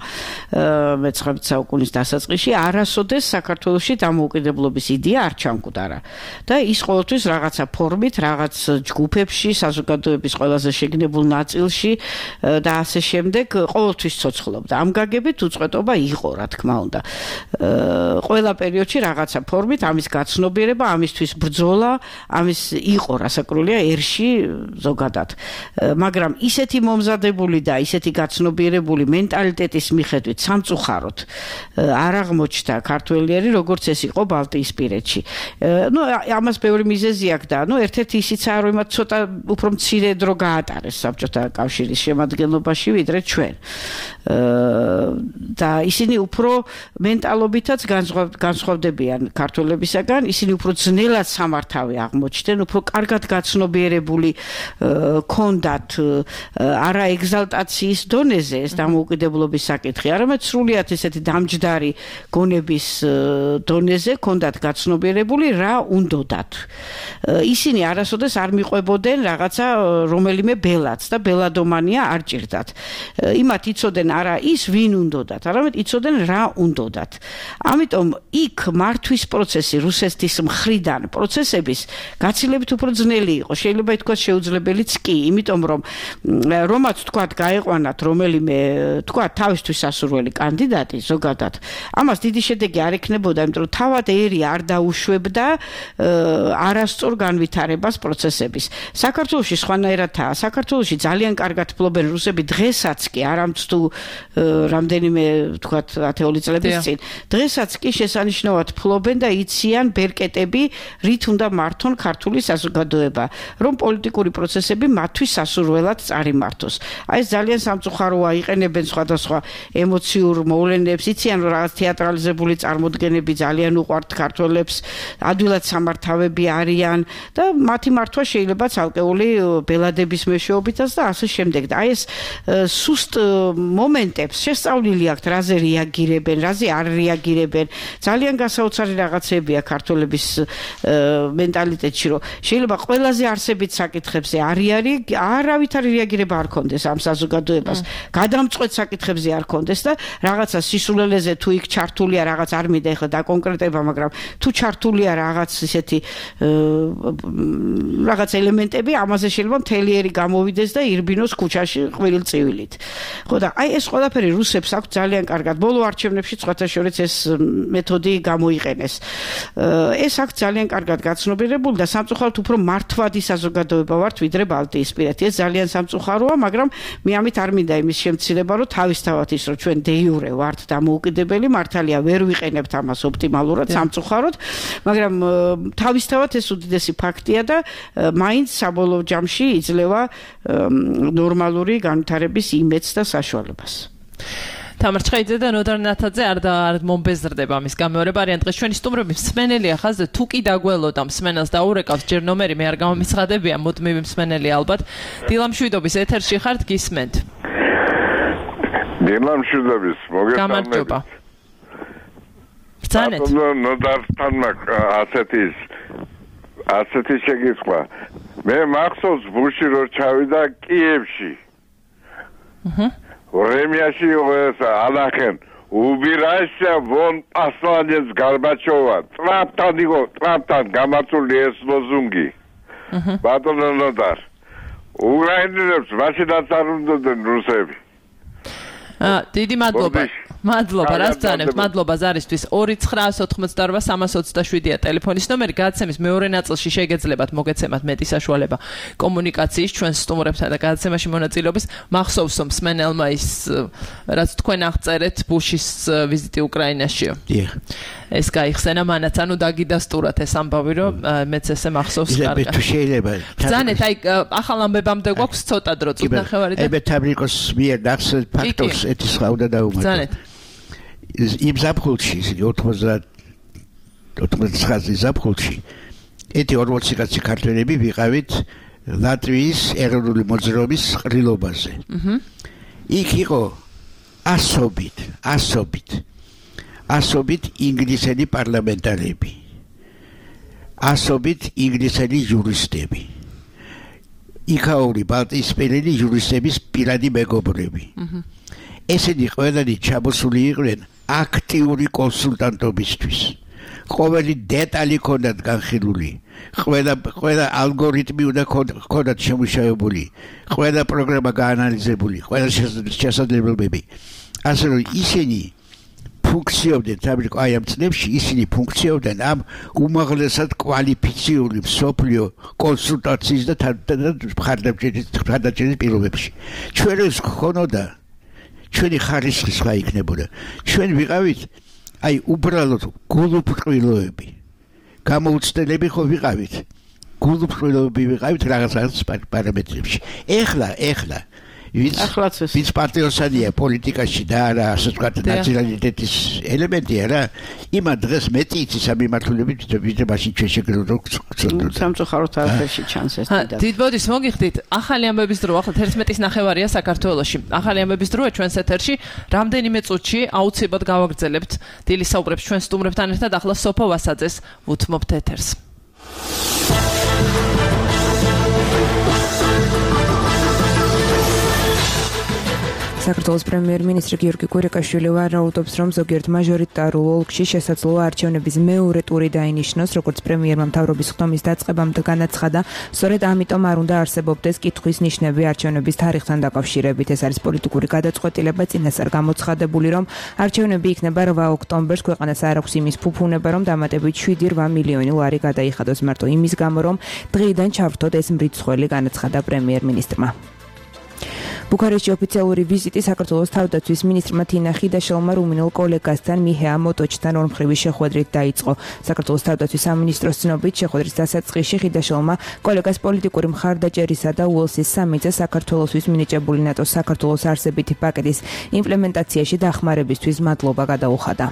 F: მეცხრამეტე საუკუნის დასაწყისში არასოდეს საქართველოში დამოუკიდებლობის იდეა არ ჩამკვდარა. და ის ყოველთვის რაღაცა ფორმით, რაღაც ჯგუფებში, საზოგადოების ყველაზე შეგნებულ ნაწილში და ასე შემდეგ ყოველთვის ცოცხლობდა. ამ გაგებით უწყვეტობა იყო, რა თქმა უნდა. ყველა პერიოდში რაღაცა ფორმით ამის გაცნობიერება, ამისთვის ბრძოლა, ამის იყო რასაკრულია ერში ზოგადად. მაგრამ ისეთი მომზადებული და ისეთი გაცნობიერებული მენტალიტეტის მიხედვით სამწუხაროდ არ აღმოჩნდა ქართველიერი, როგორც ეს იყო ბალტიისპირეთში. ნუ ამას ბევრი მიზეზი აქვს და ნუ ერთ-ერთი ისიცაა, რომ იმათ ცოტა უფრო მცირე დრო გაატარეს საბჭოთა კავშირის შემადგენლობაში ვიდრე ჩვენ. და ისინი უფრო მენტალობითაც განსხვავდებიან ქართველებისაგან, ისინი უფრო ძნელად სამართავი აღმოჩნდნენ, უფრო კარგად გაცნობიერებული ქონდათ არა ეგზალტაციის დონეზე ეს დამოუკიდებლობის საკითხი, არამედ სრულიად ესეთი დამჯდარი გონების დონეზე ქონდათ გაცნობიერებული რა უნდოდათ. ისინი არასოდეს არ მიყვებოდნენ რაღაცა რომელიმე ბელადს და ბელადომანია არ ჭირდათ. იმათ იცოდნენ არა ის ვინ უნდოდათ, არამედ იცოდნენ რა უნდოდათ. ამიტომ იქ მართვის პროცესი რუსეთის მხრიდან პროცესების გაცილებით უფრო ძნელი იყო. შეიძლება ითქვას შეუძლებელიც კი, იმიტომ რომ რომაც თქვათ გაეყვანათ რომელიმე თქვათ თავისთვის სასურველი კანდიდატი ზოგადად, ამას დიდი შედეგი არ ექნებოდა, იმიტომ რომ თავად ერი არ დაუშვებდა არასწორ განვითარებას პროცესების. საქართველოში სხვანაირადაა. საქართველოში ძალიან კარგად ფლობენ რუსები დღესაც კი, არამც თუ რამდენიმე თქვათ ათეული წლების წინ. დღესაც კი შესანიშნავად ფლობენ და იციან ბერკეტები, რით უნდა მართონ ქართული საზოგადოება, რომ პოლიტიკური პროცესები მათთვის სასურველად წარიმართოს. აი ეს ძალიან სამწუხაროა, იყენებენ სხვადასხვა ემოციურ მოვლენებს, იციან რომ რაღაც თეატრალიზებული წარმოდგენები ძალიან უყვართ ქართველებს, ადვილად სამართავები არიან და მათი მართვა შეიძლება ცალკეული ბელადების მეშვეობითაც და ასე შემდეგ. და აი ეს სუსტ მომენტებს შესწავლილი აქვთ, რაზე რეაგირებენ, რაზე არ რეაგირებენ. ძალიან გასაოცარი რაღაცებია ქართველების მენტალიტეტში, რომ შეიძლება ყველაზე არსებით საკითხებზე არიარი არავითარი რეაგირება არ კონდეს ამ საზოგადოებას. გადამწყვეტ საკითხებზე არ კონდეს და რაღაცა სისულელეზე თუ იქ ჩართულია რაღაც არ მინდა ეხლა დაკონკრეტება, მაგრამ თუ ჩართულია რაღაც ისეთი რაღაც ელემენტები, ამაზე შეიძლება მთელი ერი გამოვიდეს და ირბინოს ქუჩაში ხვილწივილით. ხო და აი ეს ყველაფერი რუსებს აქვს ძალიან კარგად. ბოლო არჩევნებში სხვათა შორის ეს მეთოდი გამოიყენეს. ეს აქვს ძალიან კარგად გაცნობიერებული და სამწუხაროდ უფრო მართვადი საზოგადოება ვართ ვიდრე ბალტიისპირეთი. ეს ძალიან სამწუხაროა, მაგრამ მე ამით არ მინდა იმის შემცირება, რომ თავისთავად ის რომ ჩვენ დე იურე ვართ დამოუკიდებელი, მართალია ვერ ვიყენებთ ამას ოპტიმალურად, სამწუხაროდ, მაგრამ თავისთავად ეს უდიდესი ფაქტია და მაინც საბოლოო ჯამში იძლევა ნორმალური განვითარების იმედს და საშუალებას.
C: თამარ ჩხეიძე და ნოდარ ნათაძე არ და არ მომბეზრდება ამის გამეორება, არიან დღეს ჩვენი სტუმრები. მსმენელია ხაზზე, თუ კი დაგველოდა მსმენელს დაურეკავს ჯერ ნომერი, მე არ გამომიცხადებია, მუდმივი მსმენელი ალბათ. დილამშვიდობის ეთერში ხართ, გისმენთ.
H: დილამშვიდობის, მოგესალმებით.
C: გამარჯობა. ბრძანეთ.
H: ნოდართან ასეთი ასეთი შეგისხვა. მე მახსოვს ბუში რო ჩავიდა კიევში. აჰა. Vremyashi alakhen ubirasha von посланец Горбачева. Трапtan იყო, ტრაპთან გამართული ეს ლოზუნგი. ბატონო ნოდარ. უკრაინელებს მაშინ დაწარმოდნენ რუსები.
C: აა, დიდი მადლობა. მადლობა, რას ძანებთ? მადლობა ზარისთვის. ორი ცხრაას ოთხმოცდაორვა სამას ოცდაშვიდია ტელეფონის ნომერი. გადაცემის მეორე ნაწილში შეგეძლებათ მოგეცემათ მეტი საშუალება კომუნიკაციის ჩვენ სტუმრებთან და გადაცემაში მონაწილეობის. მახსოვს რომ მსმენელმა ის რაც თქვენ აღწერეთ ბუშის ვიზიტი უკრაინაშიო.
G: დიახ.
C: ეს გაიხსენა მანაც, ანუ დაგიდასტურათ ეს ამბავი, რომ მეც ესე მახსოვს კარგად.
G: თუ შეიძლება.
C: ძანეთ, აი ახალ ამბებამდე გვაქვს ცოტა დრო, წუთ ნახევარი და
G: ებე თაბრიკოს მიერ დახსოვ ფაქტორს ეთის ხავდა დაუმატა.
C: ძანეთ.
G: იმ ზაფხულში ოცდაოთხი ზაფხულში ეთი ორმოცი კაცი ქართველები ვიყავით ლატვიის ეროვნული მოძრაობის ყრილობაზე. იქ იყო ასობით, ასობით, ასობით ინგლისელი პარლამენტარები, ასობით ინგლისელი იურისტები, იქაური ბალტიისპირელი იურისტების პირადი მეგობრები. ესენი ყველანი ჩამოსული იყვნენ აქტიური კონსულტანტობისთვის. ყოველი დეტალი ქონდათ განხილული, ყველა ყველა ალგორითმი უნდა ქონდათ შემუშავებული, ყველა პროგრამა გაანალიზებული, ყველა შესაძლებლობები. ასე რომ ისინი ფუნქციონირდნენ ამერიკა აი ამ წლებში ისინი ფუნქციონირდნენ ამ უმაღლესად კვალიფიციური მსოფლიო კონსულტაციის და მხარდამჭერის მხარდაჭერის პირობებში. ჩვენ ეს გქონოდა ჩვენი ხარისხი სხვა იქნებოდა. ჩვენ ვიყავით აი უბრალოდ გულუფრყვილოები. გამოუცდელები ხო ვიყავით. გულუფრყვილოები ვიყავით რაღაც რაღაც პარამეტრებში. ეხლა, ეხლა ვინც პატრიოტია პოლიტიკაში და არა ასე ვთქვათ ნაციონალიტეტის ელემენტია რა იმან დღეს მეტი იცის ამ მიმართულებით ვიდრე მაშინ ჩვენ შეგვიძლია
F: სამწუხაროდ არაფერში ჩანს ეს დიდად
C: დიდ ბოდის მოგიხდით ახალი ამბების დრო ახლა თერთმეტის ნახევარია საქართველოში ახალი ამბების დროა ჩვენს ეთერში რამდენიმე წუთში აუცილებლად გავაგრძელებთ დილის საუბრებს ჩვენ სტუმრებთან ერთად ახლა სოფო ვასაძეს ვუთმობთ ეთერს
B: საქართველოს პრემიერ-მინისტრი გიორგი კვირიკაშვილი ვარაუდობს, რომ ზოგიერთ მაჟორიტარულ ოლქში შესაძლოა არჩევნების მეორე ტური დაინიშნოს, როგორც პრემიერმა მთავრობის ხდომის დაწყებამდე განაცხადა, სწორედ ამიტომ არ უნდა არსებობდეს კითხვის ნიშნები არჩევნების თარიღთან დაკავშირებით. ეს არის პოლიტიკური გადაწყვეტილება, წინასწარ გამოცხადებული, რომ არჩევნები იქნება რვა ოქტომბერს, ქვეყანას არ აქვს იმის ფუფუნება, რომ დამატებით შვიდი რვა მილიონი ლარი გადაიხადოს მარტო იმის გამო, რომ დღიდან ჩავრთოთ ეს მრიცხველი, განაცხადა პრემიერ-მინისტრმა. ბუქარესტში ოფიციალური ვიზიტი საქართველოს თავდაცვის მინისტრმა თინა ხიდაშელმა რუმინელ კოლეგასთან მიჰეა მოტოჩთან ორმხრივი შეხვედრით დაიწყო. საქართველოს თავდაცვის სამინისტროს ცნობით შეხვედრის დასაწყისში ხიდაშელმა კოლეგას პოლიტიკური მხარდაჭერისა და უელსის სამიწე საქართველოსთვის მინიჭებული ნატოს საქართველოს არსებითი პაკეტის იმპლემენტაციაში დახმარებისთვის მადლობა გადაუხადა.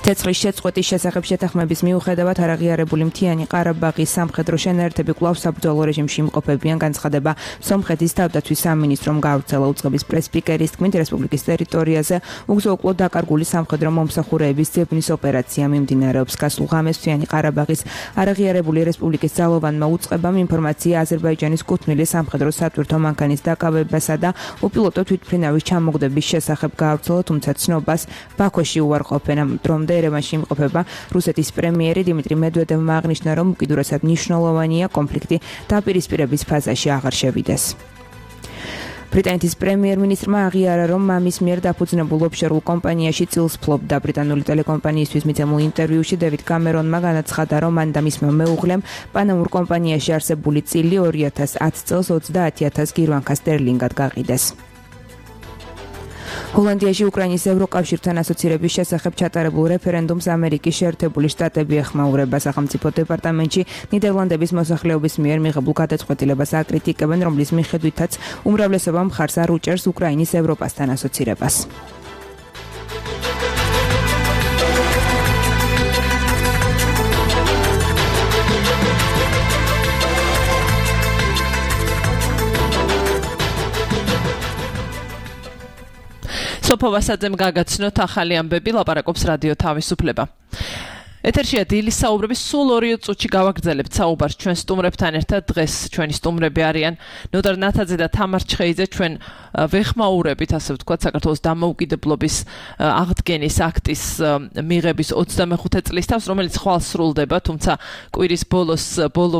B: ცეცხლის შეწყვეტის შესახებ შეთანხმების მიუხედავად არაღიარებული მთიანი ყარაბაღის სამხედრო შენაერთები კვლავ საბრძოლო რეჟიმში იმყოფებიან განცხადება სომხეთის თავდაცვის სამინისტრომ გაავრცელა უწყების პრეს-სპიკერის თქმით რესპუბლიკის ტერიტორიაზე უგზო-უკვლოდ დაკარგული სამხედრო მომსახურეების ძებნის ოპერაცია მიმდინარეობს გასულ ღამეს მთიანი ყარაბაღის არაღიარებული რესპუბლიკის ძალოვანმა უწყებამ ინფორმაცია აზერბაიჯანის კუთვნილი სამხედრო სატვირთო მანქანის დაკავებასა და უპილოტო თვითმფრინავის ჩამოგდების შესახებ გაავრცელა თუმცა ცნობას ბაქოში უარყოფენ ამ დრომდე ერევანში იმყოფება რუსეთის პრემიერი დიმიტრი მედვედევმა აღნიშნა, რომ უკიდურესად მნიშვნელოვანია კონფლიქტი დაპირისპირების ფაზაში აღარ შევიდეს. ბრიტანეთის პრემიერ-მინისტრმა აღიარა, რომ მამის მიერ დაფუძნებულ ოფშორულ კომპანიაში წილს ფლობდა. ბრიტანული ტელეკომპანიისთვის მიცემულ ინტერვიუში დევიდ კამერონმა განაცხადა, რომ მან და მისმა მეუღლემ პანამურ კომპანიაში არსებული წილი ორი ათას ათი წელს ოცდაათი ათასი გირვანქა სტერლინგად გაყიდეს. ჰოლანდიაში უკრაინის ევროკავშირთან ასოცირების შესახებ ჩატარებულ რეფერენდუმს ამერიკის შეერთებული შტატები ეხმაურება. სახელმწიფო დეპარტამენტში ნიდერლანდების მოსახლეობის მიერ მიღებულ გადაწყვეტილებას აკრიტიკებენ, რომლის მიხედვითაც უმრავლესობა მხარს არ უჭერს უკრაინის ევროპასთან ასოცირებას.
C: სოფო ვასაძემ გაგაცნოთ ახალი ამბები ლაპარაკობს რადიო თავისუფლება. ეთერშია დილის საუბრები სულ ორი წუთში გავაგრძელებთ საუბარს ჩვენ სტუმრებთან ერთად დღეს ჩვენი სტუმრები არიან ნოდარ ნათაძე და თამარ ჩხეიძე ჩვენ ვეხმაურებით ასე ვთქვათ საქართველოს დამოუკიდებლობის აღდგენის აქტის მიღების ოცდამეხუთე წლის თავს რომელიც ხვალ სრულდება თუმცა კვირის ბოლოს ბოლო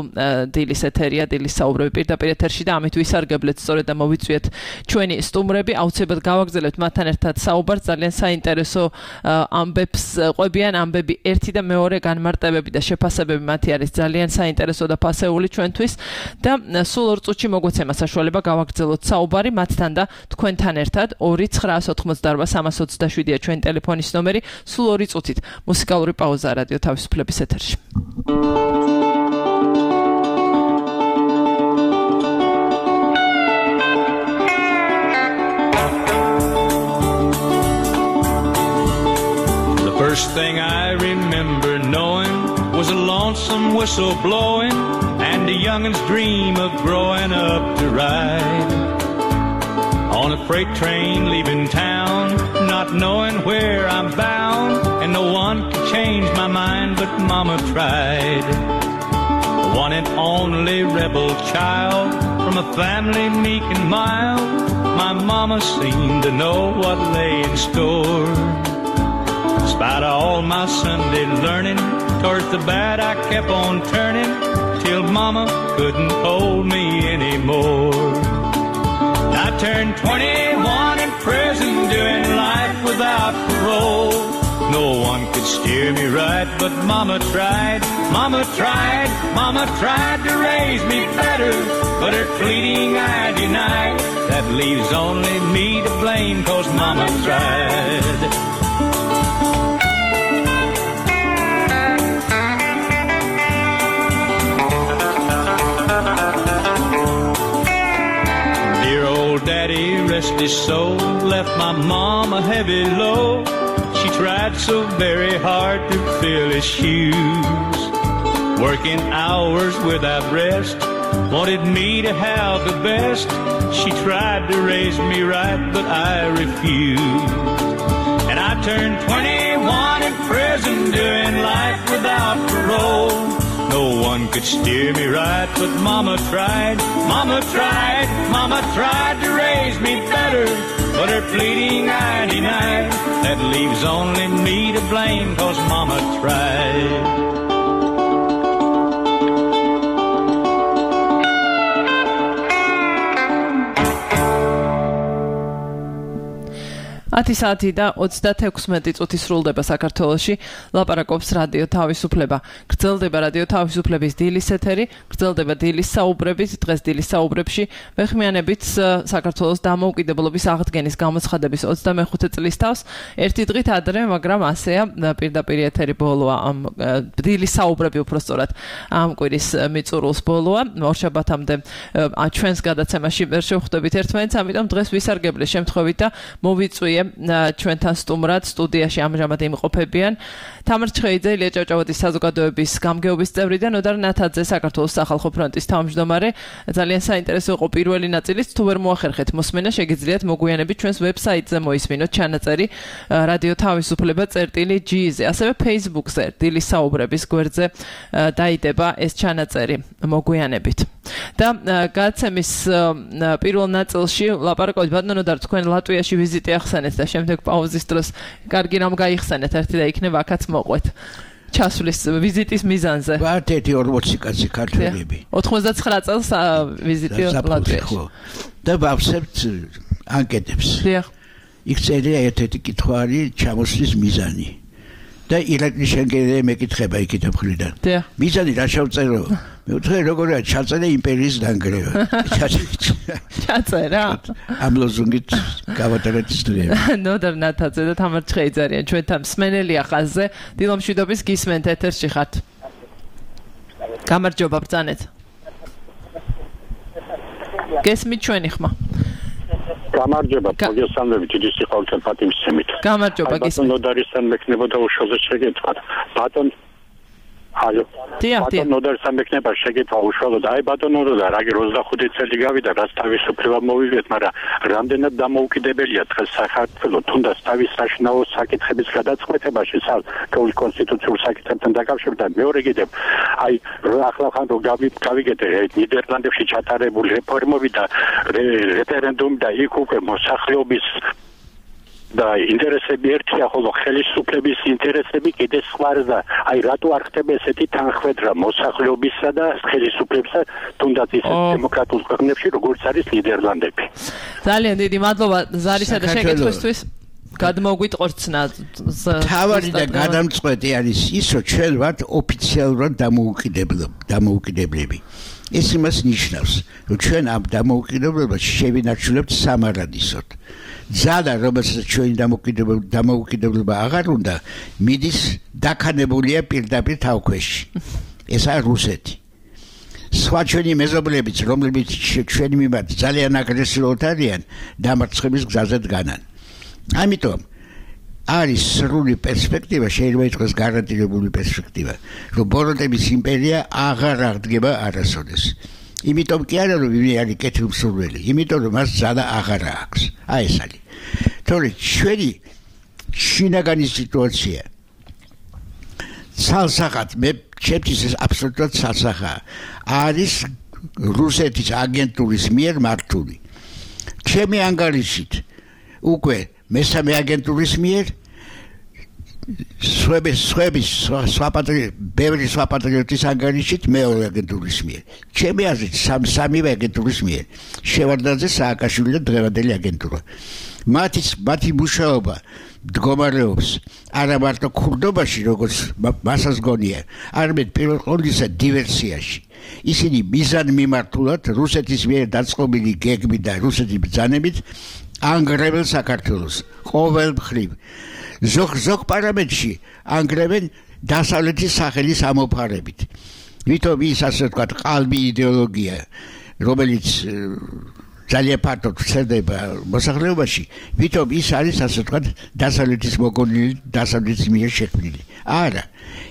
C: დილის ეთერია დილის საუბრები პირდაპირ ეთერში და ამით ვისარგებლეთ სწორედ და მოვიწვიეთ ჩვენი სტუმრები აუცილებლად გავაგრძელებთ მათთან ერთად საუბარს ძალიან საინტერესო ამბებს ყვებიან ამბები ერთი და მეორე განმარტებები და შეფასებები მათი არის ძალიან საინტერესო და ფასეული ჩვენთვის და სულ ორ წუთში მოგვეცემა საშუალება გავაგრძელოთ საუბარი მათთან და თქვენთან ერთად ორი ცხრაას ოთხმოცდაორბა სამას ოცდაშვიდია ჩვენი ტელეფონის ნომერი სულ ორი წუთით მუსიკალური პაუზა რადიო თავისუფლების ეთერში.
I: First thing I remember knowing was a lonesome whistle blowing and a youngin's dream of growing up to ride on a freight train leaving town, not knowing where I'm bound, and no one could change my mind but Mama tried. The one and only rebel child from a family meek and mild, my Mama seemed to know what lay in store. Despite all my Sunday learning, towards the bad I kept on turning, till Mama couldn't hold me anymore. I turned twenty-one in prison, doing life without parole. steer me right, but Mama tried, Mama tried, Mama tried to raise me better, but her pleading I denied. That leaves only me to blame, 'cause Mama tried. Dear old Daddy, rest his soul, left my mom a heavy load. She tried so very hard to fill his shoes, working hours without rest, wanted me to have the best. She tried to raise me right, but I refused. And I turned twenty-one in prison, doing life without parole. No one could steer me right, but Mama tried, Mama tried, Mama tried to raise me better, but her pleading I denied. That leaves only me to blame, 'cause Mama tried.
C: ათი საათი და ოცდათექვსმეტი წუთი სრულდება საქართველოში. ლაპარაკობს რადიო თავისუფლება. გრძელდება რადიო თავისუფლების დილის ეთერი, გრძელდება დილის საუბრებით. დღეს დილის საუბრებში ვეხმიანებით საქართველოს დამოუკიდებლობის აღდგენის გამოცხადების ოცდამეხუთე წლის თავს. ერთი დღით ადრე, მაგრამ ასეა პირდაპირ ეთერი ბოლოა ამ დილის საუბრები უпростоრად ამ კვირის მიწურულს ბოლოა. ორშაბათამდე ჩვენს გადაცემაში ვერ შევხვდებით ერთმანეთს, ამიტომ დღეს ვისარგებლე შემთხვევით და მოვიწვიე ჩვენთან სტუმრად სტუდიაში ამჟამად იმყოფებიან თამარ ჩხეიძე, ილია ჭავჭავაძის საზოგადოების გამგეობის წევრი და ნოდარ ნათაძე, საქართველოს სახალხო ფრონტის თავმჯდომარე. ძალიან საინტერესო იყო პირველი ნაწილიც, თუ ვერ მოახერხეთ მოსმენა, შეგიძლიათ მოგვიანებით ჩვენს ვებსაიტზე მოისმინოთ ჩანაწერი რადიო თავისუფლება წერტილი ჯი-ზე, ასევე Facebook-ზე დილის საუბრების გვერდზე დაიდება ეს ჩანაწერი მოგვიანებით. და გადაცემის პირველ ნაწილში ლაპარაკობთ ბატონო და თქვენ ლატვიაში ვიზიტი ახსენეთ და შემდეგ პაუზის დროს კარგი რამ გაიხსენეთ ერთი და იქნება აქაც მოყვეთ ჩასვლის ვიზიტის მიზანზე.
G: ვართ ერთი ორმოცი კაცი ქართველები.
C: ოთხმოცდათცხრა წელს ვიზიტი ლატვიაში.
G: და ვავსებთ ანკეტებს.
C: დიახ.
G: იქ წერია ერთ-ერთი კითხვა არის ჩამოსვლის მიზანი. და ირაკლი შენგელე მეკითხება იქით მხრიდან. მიზანი რა შევწერო? მე ვთქვი როგორია ჩაწერა იმპერიის დანგრევა.
C: ჩაწერა?
G: ამ ლოზუნგით გავატარეთ სტუდიაში.
C: ნოდარ ნათაძე და თამარ ჩხეიძე არიან ჩვენთან მსმენელია ხაზზე. დილომშვიდობის გისმენთ ეთერში ხართ. გამარჯობა ბრძანეთ. გესმით ჩვენი ხმა.
J: გამარჯობა, მოგესალმებით, დიდი სიხვალე პატიმისცემით.
C: გამარჯობა, გისმენთ.
J: ბატონ ნოდარისთან მექნებოდა უშუალოდ შეგეთქვათ. ბატონ ალო. ბატონ ნოდარისთან მექნება შეგეთქვა უშუალოდ. აი ბატონ ნოდარ, აი ოცდახუთი წელი გავიდა, რაც თავისუფლება მოვიღეთ, მაგრამ რამდენად დამოუკიდებელია დღეს საქართველოს, თუნდაც თავის საშინაო საკითხების გადაწყვეტებაში, საკუთრივ კონსტიტუციურ საკითხებთან დაკავშირებით. მეორე კიდევ, აი ახლა ხან რო გავიგეთ ნიდერლანდებში ჩატარებული რეფორმები და რეფერენდუმი და იქ უკვე მოსახლეობის და ინტერესები ერთია, ხოლო ხელისუფლების ინტერესები კიდე სხვაა და აი რატო არ ხდება ესეთი თანხმედრა მოსახლეობისა და ხელისუფლებისა თუნდაც ისეთ დემოკრატიულ ქვეყნებში როგორც არის ნიდერლანდები.
C: ძალიან დიდი მადლობა ზარისა და შეკითხვისთვის. გადმოგვიტყორცნა.
G: თავარი და გადამწყვეტი არის ის, რომ ჩვენ ვართ ოფიციალურად დამოუკიდებლები. ეს იმას ნიშნავს, რომ ჩვენ ამ დამოუკიდებლობას შევინარჩუნებთ სამარადისოდ. ძალა, რომელსაც ჩვენი დამოუკიდებლობა აღარ უნდა, მიდის დაქანებულია პირდაპირ თავქვეშში. ესაა რუსეთი. სხვა ჩვენი მეზობლებიც, რომლებიც ჩვენი მიმართ ძალიან აგრესიულად არიან, დამარცხების გზაზე დგანან. ამიტომ არის სრული პერსპექტივა, შეიძლება ითქვას გარანტირებული პერსპექტივა, რომ ბოროტების იმპერია აღარ აღდგება არასოდეს. იმიტომ კი არა, რომ ვინმე არის კეთილმსურველი, იმიტომ რომ მას ძალა აღარ აქვს. აი ეს არის. თორე ჩვენი შინაგანი სიტუაცია ცალსახად, მე ჩემთვის ეს აბსოლუტურად ცალსახაა, არის რუსეთის აგენტურის მიერ მართული. ჩემი ანგარიშით უკვე მესამე აგენტურის მიერ სვების სვების სვაპატრიოტი ბევრი სვაპატრიოტის ანგარიშით მეორე აგენტურის მიერ. ჩემი აზრით სამ სამივე აგენტურის მიერ. შევარდნაძე, სააკაშვილი და დღევანდელი აგენტურა. მათი მათი მუშაობა მდგომარეობს არა მარტო ქურდობაში, როგორც მასაც გონია, არამედ პირველ ყოვლისა დივერსიაში. ისინი მიზანმიმართულად რუსეთის მიერ დაწყობილი გეგმით და რუსეთის ბრძანებით ანგრევენ საქართველოს ყოველ მხრივ. ზოგ ზოგ პარამეტრში ანგრევენ დასავლეთის სახელის ამოფარებით. ვითომ ის ასე ვთქვათ ყალბი იდეოლოგია, რომელიც ძალიან ფართოდ ვრცელდება მოსახლეობაში, ვითომ ის არის ასე ვთქვათ დასავლეთის მოგონილი, დასავლეთის მიერ შექმნილი. არა,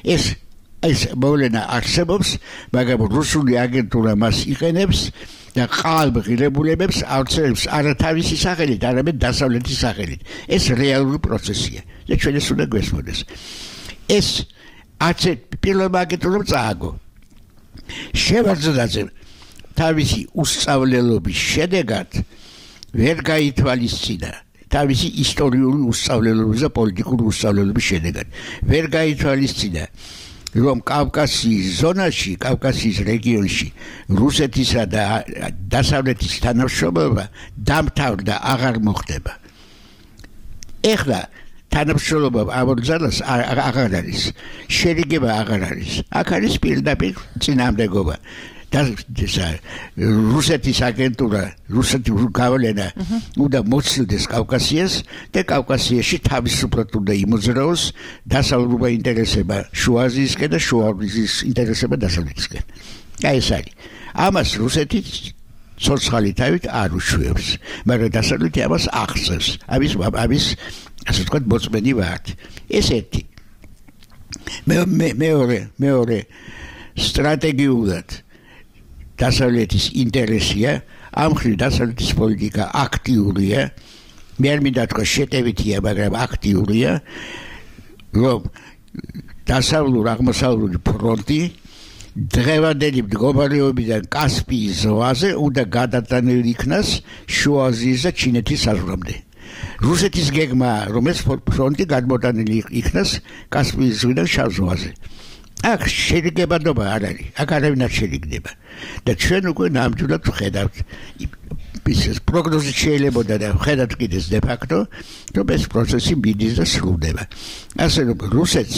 G: ეს ეს მოვლენა არსებობს, მაგრამ რუსული აგენტურა მას იყენებს და ყალბ ღირებულებებს ავრცელებს არა თავისი სახელით, არამედ დასავლეთის სახელით. ეს რეალური პროცესია და ჩვენ ეს უნდა გვესმოდეს. ეს არც პირველმა აგენტურამ წააგო. შევარდნაძემ თავისი უსწავლელობის შედეგად ვერ გაითვალისწინა თავისი ისტორიული უსწავლელობის და პოლიტიკური უსწავლელობის შედეგად ვერ გაითვალისწინა რომ კავკასიის ზონაში, კავკასიის რეგიონში რუსეთისა და დასავლეთის თანამშრომლობა დამთავრდა, აღარ მოხდება. ეხლა თანამშრომლობა ამოძალას აღარ არის, შერიგება აღარ არის. აქ არის პირდაპირ წინააღმდეგობა. და რუსეთის აგენტურა, რუსეთის გავლენა უნდა მოცილდეს კავკასიას და კავკასიაში თავისუფლად უნდა იმოძრაოს დასავლურობა ინტერესება შუა აზიისკენ და შუა აზიის ინტერესება დასავლეთისკენ. აი ეს არის. ამას რუსეთი ცოცხალი თავით არ უშვებს, მაგრამ დასავლეთი ამას ახსენს. ამის ამის ასე ვთქვათ მოწმენი ვართ. ეს ერთი. მეორე მეორე სტრატეგიულად დასავლეთის ინტერესია, ამ ხრივ დასავლეთის პოლიტიკა აქტიურია, მე არ მინდა თქვა შეტევითია, მაგრამ აქტიურია, რომ დასავლურ აღმოსავლური ფრონტი დღევანდელი მდგომარეობიდან კასპიის ზღვაზე უნდა გადატანილი იქნას შუა აზიის და ჩინეთის საზღვრამდე. რუსეთის გეგმა, რომ ეს ფრონტი გადმოტანილი იქნას კასპიის ზღვიდან შავ ზღვაზე. აქ შერიგებადობა არ არის, აქ არავინ არ შერიგდება. და ჩვენ უკვე ნამდვილად ვხედავთ, ის პროგნოზი შეიძლებოდა და ვხედავთ კიდეც de facto, რომ ეს პროცესი მიდის და სრულდება. ასე რომ რუსეთს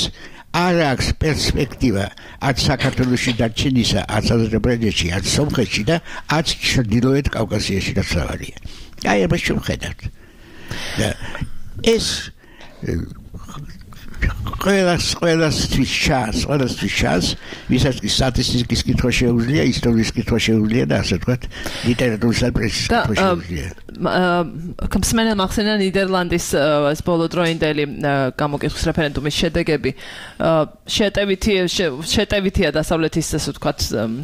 G: არ აქვს პერსპექტივა არც საქართველოში დარჩენისა, არც აზერბაიჯანში, არც სომხეთში და არც ჩრდილოეთ კავკასიაში დასავლარია. აი ამას ჩვენ ვხედავთ. და ეს ყველას ყველასთვის შანს, ყველასთვის შანს, ვისაც კი სტატისტიკის კითხვა შეუძლია, ისტორიის კითხვა შეუძლია და ასე ვთქვათ, ლიტერატურის და პრესის კითხვა შეუძლია.
C: კომსმენელ მახსენა ნიდერლანდის ეს ბოლოდროინდელი გამოკითხვის რეფერენდუმის შედეგები შეტევითი შეტევითია დასავლეთის ასე ვთქვათ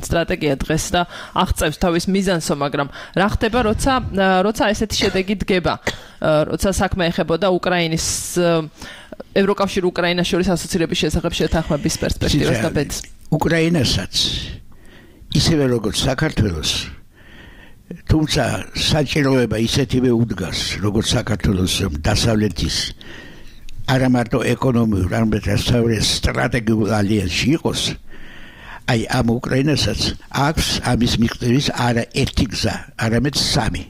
C: სტრატეგია დღეს და აღწევს თავის მიზანსო, მაგრამ რა ხდება, როცა როცა ესეთი შედეგი დგება, როცა საქმე ეხებოდა უკრაინის ევროკავშირ უკრაინას შორის ასოცირების შესახებ შეთანხმების პერსპექტივას და ბედს.
G: უკრაინასაც ისევე როგორც საქართველოს, თუმცა საჭიროება ისეთივე უდგას, როგორც საქართველოს დასავლეთის არა მარტო ეკონომიურ, არამედ სტრატეგიულ ალიანსში იყოს, აი ამ უკრაინასაც აქვს ამის მიღწევის არა ერთი გზა, არამედ სამი.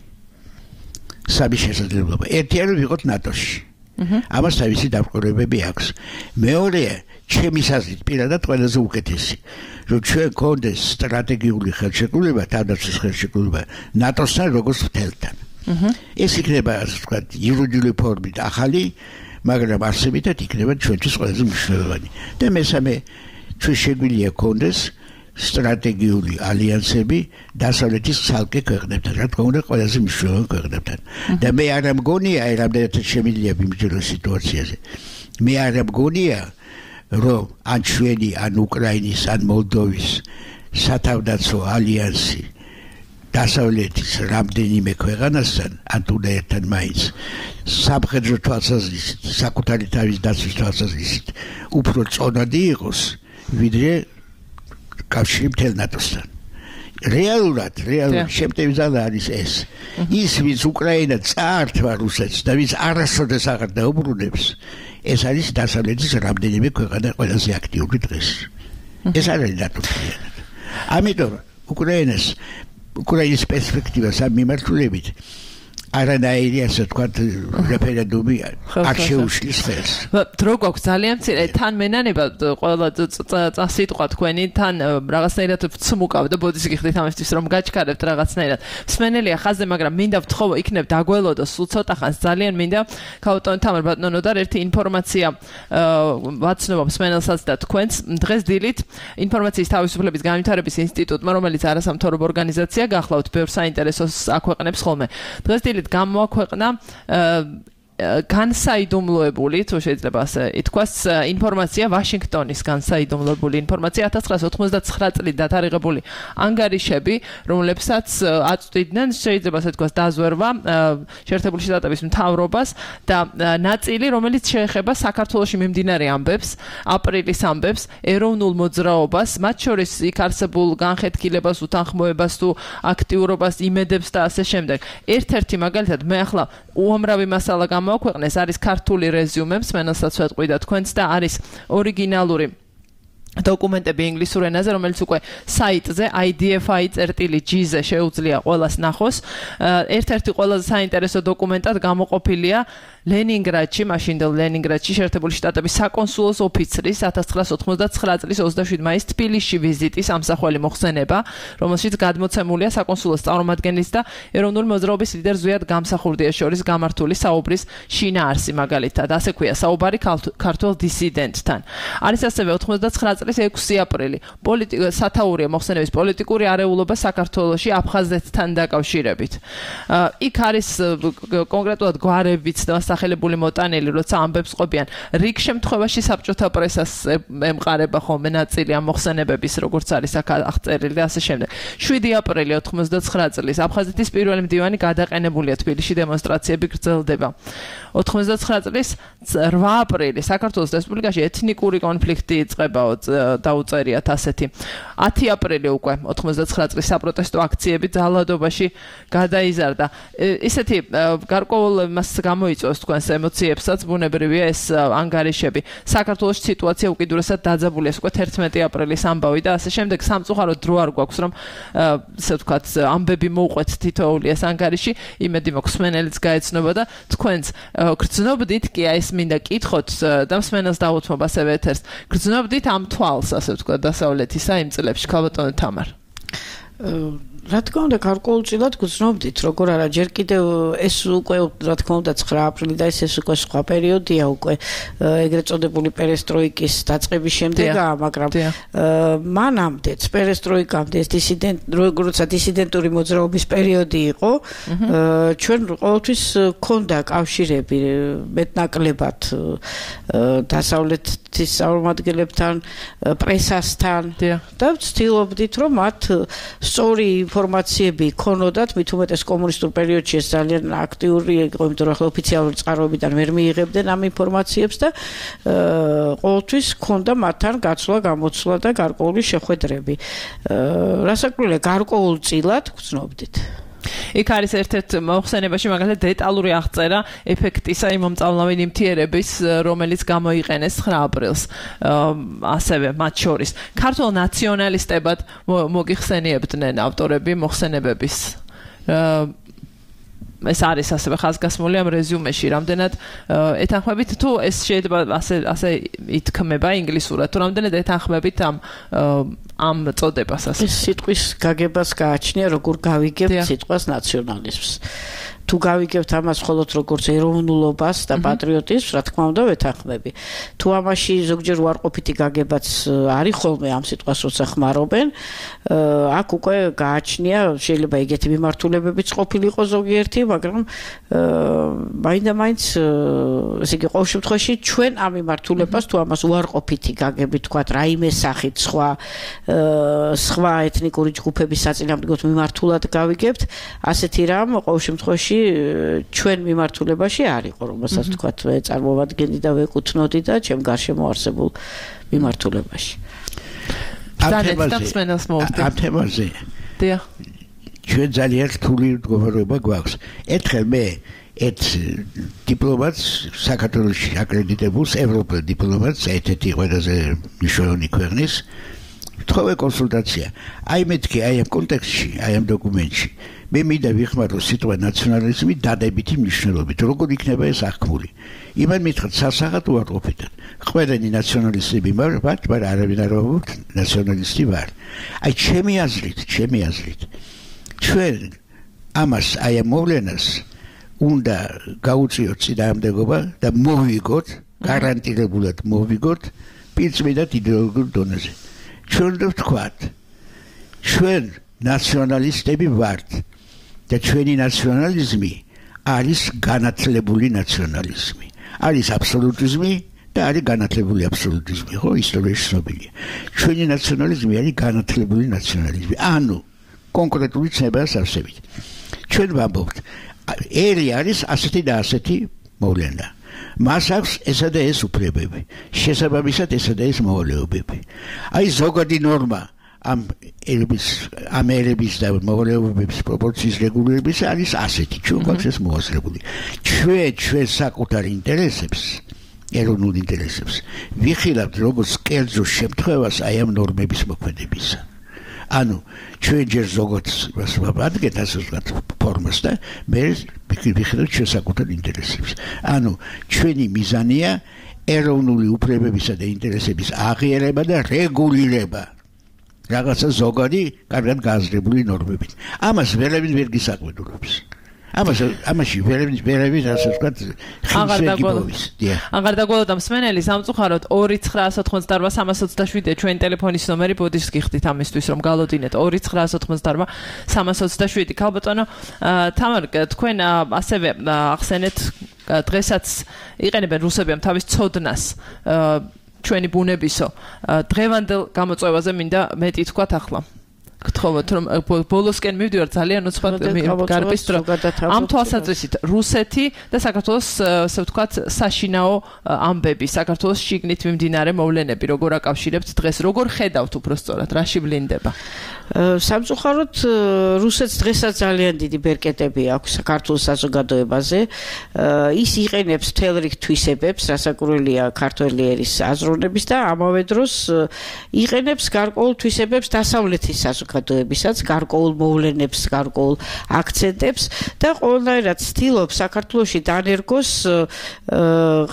G: სამი შესაძლებლობა. ერთი არის ვიყოთ ნატოში. ამას თავისი დამკვირვებები აქვს. მეორეა, ჩემი აზრით, პირადად ყველაზე უკეთესი, რომ ჩვენ გქონდეს სტრატეგიული ხელშეკრულება, თავდაცვის ხელშეკრულება ნატოსთან როგორც მთელთან. ეს იქნება, ასე ვთქვათ, იურიდიული ფორმით ახალი, მაგრამ არსებითად იქნება ჩვენთვის ყველაზე მნიშვნელოვანი. და მესამე, ჩვენ შეგვიძლია გქონდეს სტრატეგიული ალიანსები დასავლეთის ცალკე ქვეყნებთან, რა თქმა უნდა, ყველაზე მნიშვნელოვან ქვეყნებთან. და მე არ მგონია, რამდენადაც შემიძლია მიმჯეროს სიტუაციაზე. მე არ მგონია, რომ ან ჩვენი, ან უკრაინის, ან მოლდოვის სათავდაცვო ალიანსი დასავლეთის რამდენიმე ქვეყანასთან, ან თუნდაც ერთთან მაინც სამხედრო თვალსაზრისით, საკუთარი თავის დაცვის თვალსაზრისით უფრო წონადი იყოს, ვიდრე კავშირი მთელ ნატოსთან. რეალურად, რეალურად შემტევი ძალა არის ეს. ის, ვინც უკრაინა წაართვა რუსეთს და ვინც არასოდეს აღარ დაუბრუნებს, ეს არის დასავლეთის რამდენიმე ქვეყანა ყველაზე აქტიური დღეს. ეს არის დატვირთული. ამიტომ უკრაინას უკრაინის პერსპექტივას ამ მიმართულებით არანაირი ასე ვთქვათ რეფერენდუმი არ შეუშლის ხელს.
C: დრო გვაქვს ძალიან მცირე თან მენანება ყველა წასიტყვა თქვენი თან რაღაცნაირად ვცმუკავ და ბოდიში გიხდით ამისთვის რომ გაჩქარებთ რაღაცნაირად. მსმენელია ხაზზე, მაგრამ მინდა ვთხოვო იქნებ დაგველოდო სულ ცოტა ხანს ძალიან მინდა ქაუტონ თამარ ბატონოდარ ერთი ინფორმაცია ვაცნობ მსმენელსაც და თქვენს დღეს დილით ინფორმაციის თავისუფლების განვითარების ინსტიტუტმა, რომელიც არასამთავრობო ორგანიზაცია გახლავთ, ბევრ საინტერესოს აქვეყნებს ხოლმე. დღეს დილით გამოაქვეყნა განსაიდუმლოებული, თუ შეიძლება ასე ითქვას, ინფორმაცია ვაშინგტონის განსაიდუმლოებული ინფორმაცია ათას ცხრაას ოცდაათწლით წლით დათარიღებული ანგარიშები, რომლებსაც აწვდიდნენ, შეიძლება ასე ითქვას, დაზვერვა შეერთებული შტატების მთავრობას და ნაწილი, რომელიც შეეხება საქართველოში მიმდინარე ამბებს, აპრილის ამბებს, ეროვნულ მოძრაობას, მათ შორის იქ არსებულ განხეთქილებას, უთანხმოებას თუ აქტიურობას, იმედებს და ასე შემდეგ. ერთ-ერთი მაგალითად მე ახლა უამრავი მასალა გამოაქვეყნეს, არის ქართული რეზიუმე, მსმენელსაც ვეტყვი და თქვენც და არის ორიგინალური დოკუმენტები ინგლისურ ენაზე, რომელიც უკვე საიტზე i d f i dot g ზე შეუძლია ყველას ნახოს. ერთ-ერთი ყველაზე საინტერესო დოკუმენტად გამოყოფილია ლენინგრადში, მაშინდელ ლენინგრადში შეერთებული შტატების საკონსულოს ოფიცრის ათას ცხრაას ოცდაათწლით წლის ოცდაშვიდი მაისს თბილისში ვიზიტის ამსახველი მოხსენება, რომელშიც გადმოცემულია საკონსულოს წარმომადგენლის და ეროვნული მოძრაობის ლიდერ ზვიად გამსახურდიას შორის გამართული საუბრის შინაარსი მაგალითად. ასე ქვია საუბარი ქართულ დისიდენტთან. არის ასევე ოცდაათწლით წლის ექვსი აპრილი სათაურია მოხსენების პოლიტიკური არეულობა საქართველოში აფხაზეთთან დაკავშირებით. იქ არის კონკრეტულად გვარებიც და სახელებული მოტანილი, როცა ამბებს ყოფიან. რიგ შემთხვევაში საბჭოთა პრესას ემყარება ხოლმე ნაწილი ამ მოხსენებების, როგორც არის აქ აღწერილი და ასე შემდეგ. შვიდი აპრილი ოცდაათწლით წლის აფხაზეთის პირველი მდივანი გადაყენებულია, თბილისში დემონსტრაციები გრძელდება. ოცდაათწლით წლის რვა აპრილი საქართველოს რესპუბლიკაში ეთნიკური კონფლიქტი იწყებაო, დაუწერიათ ასეთი. ათი აპრილი უკვე ოცდაათწლით წლის საპროტესტო აქციები ძალადობაში გადაიზარდა. ისეთი გარკვეულ მას გამოიწვევს თქვენს ემოციებსაც, ბუნებრივია ეს ანგარიშები. საქართველოს სიტუაცია უკიდურესად დაძაბულია, უკვე თერთმეტი აპრილის ამბავი და ასე შემდეგ. სამწუხაროდ დრო არ გვაქვს, რომ ასე ვთქვათ, ამბები მოვყვეთ თითოეული ეს ანგარიში, იმედი მაქვს მსმენელიც გაეცნობა და თქვენც გრძნობდით კი ეს მინდა კითხოთ და მსმენელს დაუთმობ ასევე ეთერს. გრძნობდით ამ თვალს, ასე ვთქვათ, დასავლეთისა იმ წლებში, ქალბატონო თამარ.
F: რა თქმა უნდა, გარკვეულწილად გრძნობდით, როგორ არა, ჯერ კიდევ ეს უკვე რა თქმა უნდა ცხრა აპრილი და ეს ეს უკვე სხვა პერიოდია, უკვე ეგრეთ წოდებული პერესტროიკის დაწყების შემდეგაა, მაგრამ მანამდეც პერესტროიკამდე ეს დისიდენტ, როცა დისიდენტური მოძრაობის პერიოდი იყო, ჩვენ ყოველთვის ქონდა კავშირები მეტნაკლებად დასავლეთის წარმომადგენლებთან, პრესასთან და ვცდილობდით, რომ მათ სწორი ინფორმაციები ქონოდათ, მით უმეტეს კომუნისტურ პერიოდში ეს ძალიან აქტიური იყო, იმიტომ რომ ახლა ოფიციალური წყაროებიდან ვერ მიიღებდნენ ამ ინფორმაციებს და ყოველთვის ქონდა მათთან გაცვლა, გამოცვლა და გარკვეული შეხვედრები. რასაკვირველია, გარკვეულწილად გრძნობდით.
C: იქ არის ერთ-ერთ მოხსენებაში მაგალითად დეტალური აღწერა ეფექტისა იმ მომწავლნავი ნივთიერების, რომელიც გამოიყენეს ცხრა აპრილს, ასევე მათ შორის. ქართულ ნაციონალისტებად მოგიხსენიებდნენ ავტორები მოხსენებების. ეს არის ასევე ხაზგასმული ამ რეზიუმეში, რამდენად ეთანხმებით, თუ ეს შეიძლება ასე ასე ითქმება ინგლისურად, თუ რამდენად ეთანხმებით ამ ამ წოდებას ასე.
F: ეს სიტყვის გაგებას გააჩნია, როგორ გავიგებთ სიტყვას ნაციონალიზმს. თუ გავიგებთ ამას მხოლოდ როგორც ეროვნულობას და პატრიოტიზმს, რა თქმა უნდა, ვეთანხმები. თუ ამაში ზოგჯერ უარყოფითი გაგებაც არის ხოლმე ამ სიტყვას როცა ხმარობენ, აქ უკვე გააჩნია, შეიძლება ეგეთი მიმართულებებიც ყოფილიყო ზოგიერთი, მაგრამ მაინდა-მაინც ესე იგი ყოველ შემთხვევაში ჩვენ ამ მიმართულებას თუ ამას უარყოფითი გაგებით თქვათ, რაიმე სახით სხვა სხვა ეთნიკური ჯგუფების საწინააღმდეგოდ მიმართულად გავიგებთ, ასეთი რამ ყოველ შემთხვევაში ჩვენ მიმართულებაში არ იყო, რომელსაც თქვათ წარმოვადგენდი და ვეკუთვნოდი და ჩემ გარშემო არსებულ მიმართულებაში.
G: ამ თემაზე ჩვენ ძალიან რთული მდგომარეობა გვაქვს. ერთხელ მე ერთ დიპლომატს საქართველოში აკრედიტებულს ევროპელ დიპლომატს ერთ-ერთი ყველაზე მნიშვნელოვანი ქვეყნის თხოვე კონსულტაცია. აი მეთქი აი ამ კონტექსტში, აი ამ დოკუმენტში მე მინდა ვიხმარო სიტყვა ნაციონალიზმი დადებითი მნიშვნელობით. როგორ იქნება ეს აღქმული? იმან მითხრა სასახად უარყოფითად. ყველანი ნაციონალისტები ვარ, მაგრამ არავინ არ ვარ ნაციონალისტი ვარ. აი ჩემი აზრით, ჩემი აზრით ჩვენ ამას აი ამ მოვლენას უნდა გაუწიოთ წინააღმდეგობა და მოვიგოთ, გარანტირებულად მოვიგოთ პირწმინდად იდეოლოგიურ დონეზე. ჩვენ ვთქვათ, ჩვენ ნაციონალისტები ვართ და ჩვენი ნაციონალიზმი არის განათლებული ნაციონალიზმი. არის აბსოლუტიზმი და არის განათლებული აბსოლუტიზმი, ხო, ისტორიაში ცნობილია. ჩვენი ნაციონალიზმი არის განათლებული ნაციონალიზმი. ანუ კონკრეტული ცნებაა არსებით. ჩვენ ვამბობთ, ერი არის ასეთი და ასეთი მოვლენა. მას აქვს ესა და ეს უფლებები. შესაბამისად ესა და ეს მოვალეობები. აი ზოგადი ნორმა ამ ერების ამ ერების და მოვალეობების პროპორციის რეგულირების არის ასეთი. ჩვენ გვაქვს ეს მოაზრებული. ჩვენ ჩვენ საკუთარ ინტერესებს, ეროვნულ ინტერესებს ვიხილავთ როგორც კერძო შემთხვევას აი ამ ნორმების მოქმედებისა. ანუ ჩვენ ჯერ ზოგადს ვაბადგეთ ასე ვთქვათ ფორმას და მე ვიხილავთ ჩვენ საკუთარ ინტერესებს. ანუ ჩვენი მიზანია ეროვნული უფლებებისა და ინტერესების აღიარება და რეგულირება. რაღაცა ზოგადი, კარგად გააზრებული ნორმებით. ამას ვერავინ ვერ გისაკვირვებს. ამას ამაში ვერავინ ვერავინ ასე ვთქვათ ხილშეგიბოვის.
C: აღარ დაგველოდა მსმენელი სამწუხაროდ ორი ცხრაას ოთხმოცდაარბა სამას ოცდაშვიდი ჩვენ ტელეფონის ნომერი ბოდიშს გიხდით ამისთვის რომ გალოდინეთ ორი ცხრაას ოთხმოცდაარბა სამას ოცდაშვიდი. ქალბატონო თამარ თქვენ ასევე ახსენეთ დღესაც იყენებენ რუსები ამ თავის ცოდნას ჩვენი ბუნებისო დღევანდელ გამოწვევაზე მინდა მეტი თქვათ ახლა. გთხოვოთ რომ ბოლოსკენ მივდივარ ძალიან უცბად გარბის დრო ამ თვალსაზრისით რუსეთი და საქართველოს ასე ვთქვათ საშინაო ამბები საქართველოს შიგნით მიმდინარე მოვლენები როგორ აკავშირებთ დღეს როგორ ხედავთ უბრალოდ რაში ვლინდება
F: სამწუხაროდ რუსეთს დღესაც ძალიან დიდი ბერკეტები აქვს საქართველოს საზოგადოებაზე ის იყენებს მთელ რიგ თვისებებს რასაკურველია ქართველი ერის აზროვნების და ამავე დროს იყენებს გარკვეულ თვისებებს დასავლეთის საზოგადოებისაც გარკვეულ მოვლენებს გარკვეულ აქცენტებს და ყველანაირად ცდილობს საქართველოში დანერგოს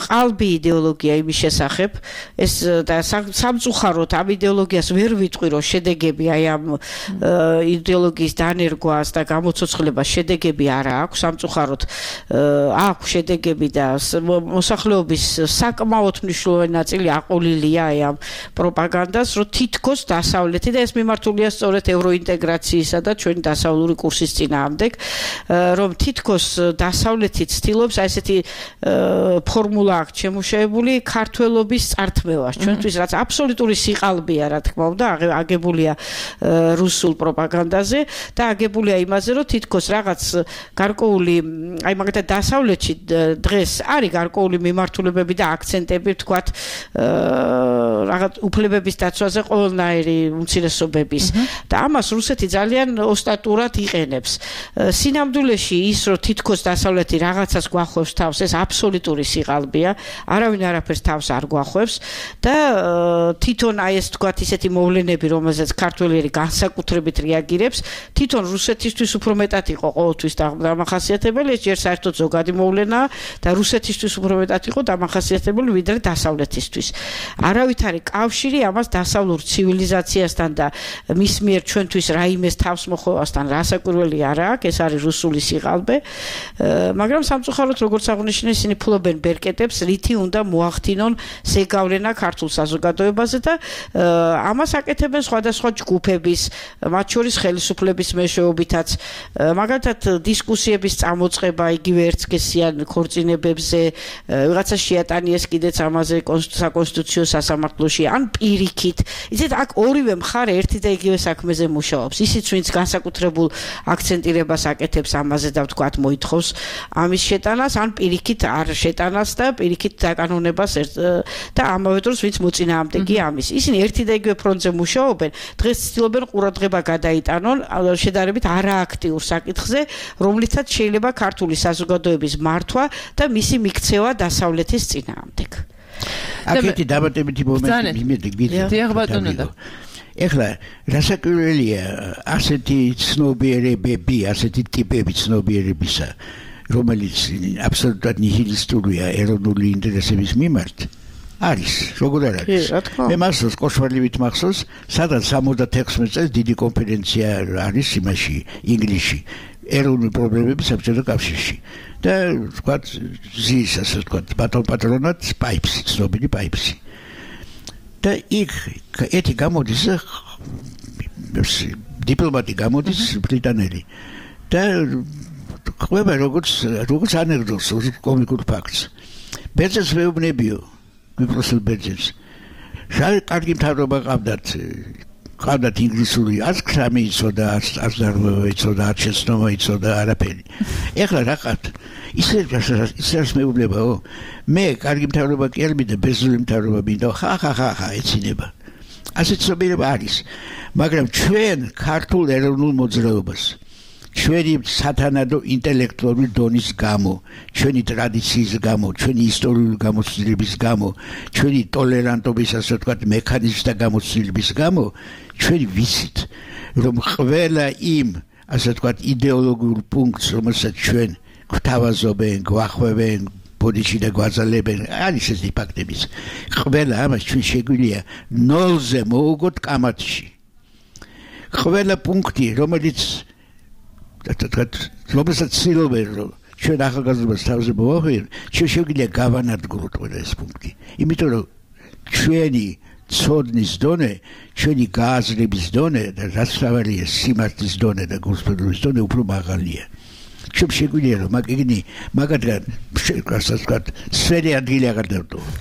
F: ყალბი იდეოლოგია იმის შესახებ ეს და სამწუხაროდ ამ იდეოლოგიას ვერ ვიტყვი რომ შედეგები აი ამ იდეოლოგიის დანერგვას და გამოცოცხლებას შედეგები არა აქვს სამწუხაროდ აქვს შედეგები და მოსახლეობის საკმაოდ მნიშვნელოვანი ნაწილი აყოლილია აი ამ პროპაგანდას რომ თითქოს დასავლეთი და ეს მიმართულია სწორედ ევროინტეგრაციისა და ჩვენი დასავლური კურსის წინააღმდეგ რომ თითქოს დასავლეთი ცდილობს აი ესეთი ფორმულა აქვს შემუშავებული ქართველობის წართმევას ჩვენთვის რაც აბსოლუტური სიყალბეა რა თქმა უნდა აგებულია რუსულ პროპაგანდაზე და აგებულია იმაზე რომ თითქოს რაღაც გარკვეული აი მაგალითად დასავლეთში დღეს არის გარკვეული მიმართულებები და აქცენტები ვთქვათ რაღაც უფლებების დაცვაზე ყველანაირი უმცირესობების და ამას რუსეთი ძალიან ოსტატურად იყენებს სინამდვილეში ის რომ თითქოს დასავლეთი რაღაცას გვახვევს თავს ეს აბსოლუტური სიყალბეა არავინ არაფერს თავს არ გვახვევს და თვითონ აი ეს ვთქვათ ისეთი მოვლენები რომელზეც ქართველი განსაკუთრებით რეაგირებს თვითონ რუსეთისთვის უფრო მეტად იყო ყოველთვის დამახასიათებელი ეს ჯერ საერთოდ ზოგადი მოვლენაა და რუსეთისთვის უფრო მეტად იყო დამახასიათებელი ვიდრე დასავლეთისთვის არავითარი კავშირი ამას დასავლურ ცივილიზაციასთან და მის მიერ ჩვენთვის რაიმეს თავს მოხვევასთან რასაკვირველი არ აქვს ეს არის რუსული სიყალბე მაგრამ სამწუხაროდ როგორც აღნიშნე ისინი ფლობენ ბერკეტებს რითი უნდა მოახდინონ ზეგავლენა ქართულ საზოგადოებაზე და ამას აკეთებენ სხვადასხვა ჯგუფების მათ შორის ხელისუფლების მეშვეობითაც მაგალითად დისკუსიების წამოწყება იგივე ერთსქესიან ქორწინებებზე ვიღაცა შეატანიეს კიდეც ამაზე საკონსტიტუციო სასამართლოში ან პირიქით იცით აქ ორივე მხარე ერთი და იგივე საქმეზე მუშაობს ისიც ვინც განსაკუთრებულ აქცენტირებას აკეთებს ამაზე და ვთქვათ მოითხოვს ამის შეტანას ან პირიქით არ შეტანას და პირიქით დაკანონებას და ამავე დროს ვინც მოწინააღმდეგე ამის. ისინი ერთი და იგივე ფრონტზე მუშაობენ, დღეს ცდილობენ ყურადღება გადაიტანონ შედარებით არააქტიურ საკითხზე, რომლითაც შეიძლება ქართული საზოგადოების მართვა და მისი მიქცევა დასავლეთის წინააღმდეგ.
G: აქეთი დამატებითი მომენტი მიმედი
C: გითხრათ.
G: ეხლა რასაკვირველია ასეთი ცნობიერებები, ასეთი ტიპები ცნობიერებისა, რომელიც აბსოლუტურად ნიჰილისტურია ეროვნული ინტერესების მიმართ, არის, როგორ არ არის? მე მახსოვს, კოშვალივით მახსოვს, სადაც სამოცდათექვსმეტ წელს დიდი კონფერენცია არის იმაში, ინგლისში, ეროვნული პრობლემები საბჭოთა კავშირში. და თქვათ, ზის, ასე ვთქვათ, ბატონ პატრონად პაიპსი, ცნობილი პაიპსი. და იქ ეთი გამოდის დიპლომატი გამოდის ბრიტანელი და ყვება როგორც როგორც ანეკდოტს კომიკურ ფაქტს ბერძენს მეუბნებიო მიпросил ბერძენს შარი კარგი მთავრობა ყავდათ ყავდათ ინგლისური არც ხრამი იცოდა არც დარღვევა იცოდა არც შეცნობა იცოდა არაფერი ეხლა რა ყავთ ისე ისეს მეუბნებაო მე კარგი მთავრობა კი არ მინდა ბერძნული მთავრობა მინდა ხა ხა ხა ხა ეცინება ასეთ ცნობიერება არის მაგრამ ჩვენ ქართულ ეროვნულ მოძრაობას ჩვენი სათანადო ინტელექტუალური დონის გამო ჩვენი ტრადიციის გამო ჩვენი ისტორიული გამოცდილების გამო ჩვენი ტოლერანტობის ასე ვთქვათ მექანიზმთა გამოცდილების გამო ჩვენ ვიცით რომ ყველა იმ ასე ვთქვათ იდეოლოგიურ პუნქტს რომელსაც ჩვენ გვთავაზობენ გვახვევენ ბოდიში და გვაძალებენ არის ეს ფაქტებიც ყველა ამას ჩვენ შეგვიძლია ნოლზე მოვუგოთ კამათში ყველა პუნქტი რომელიც რომელსაც ცდილობენ რომ ჩვენ ახალგაზრდობას თავზე მოვახვიოთ ჩვენ შეგვიძლია გავანადგუროთ ყველა ეს პუნქტი იმიტომ რომ ჩვენი ცოდნის დონე ჩვენი გააზრების დონე და რაც თავარია სიმართლის დონე და გულსხვედობის დონე უფრო მაღალია ჩვენ შეგვიძლია რომ მაგიგნი მაგათგან ასე ვთქვათ სვერი ადგილი აღარ დავტოვოთ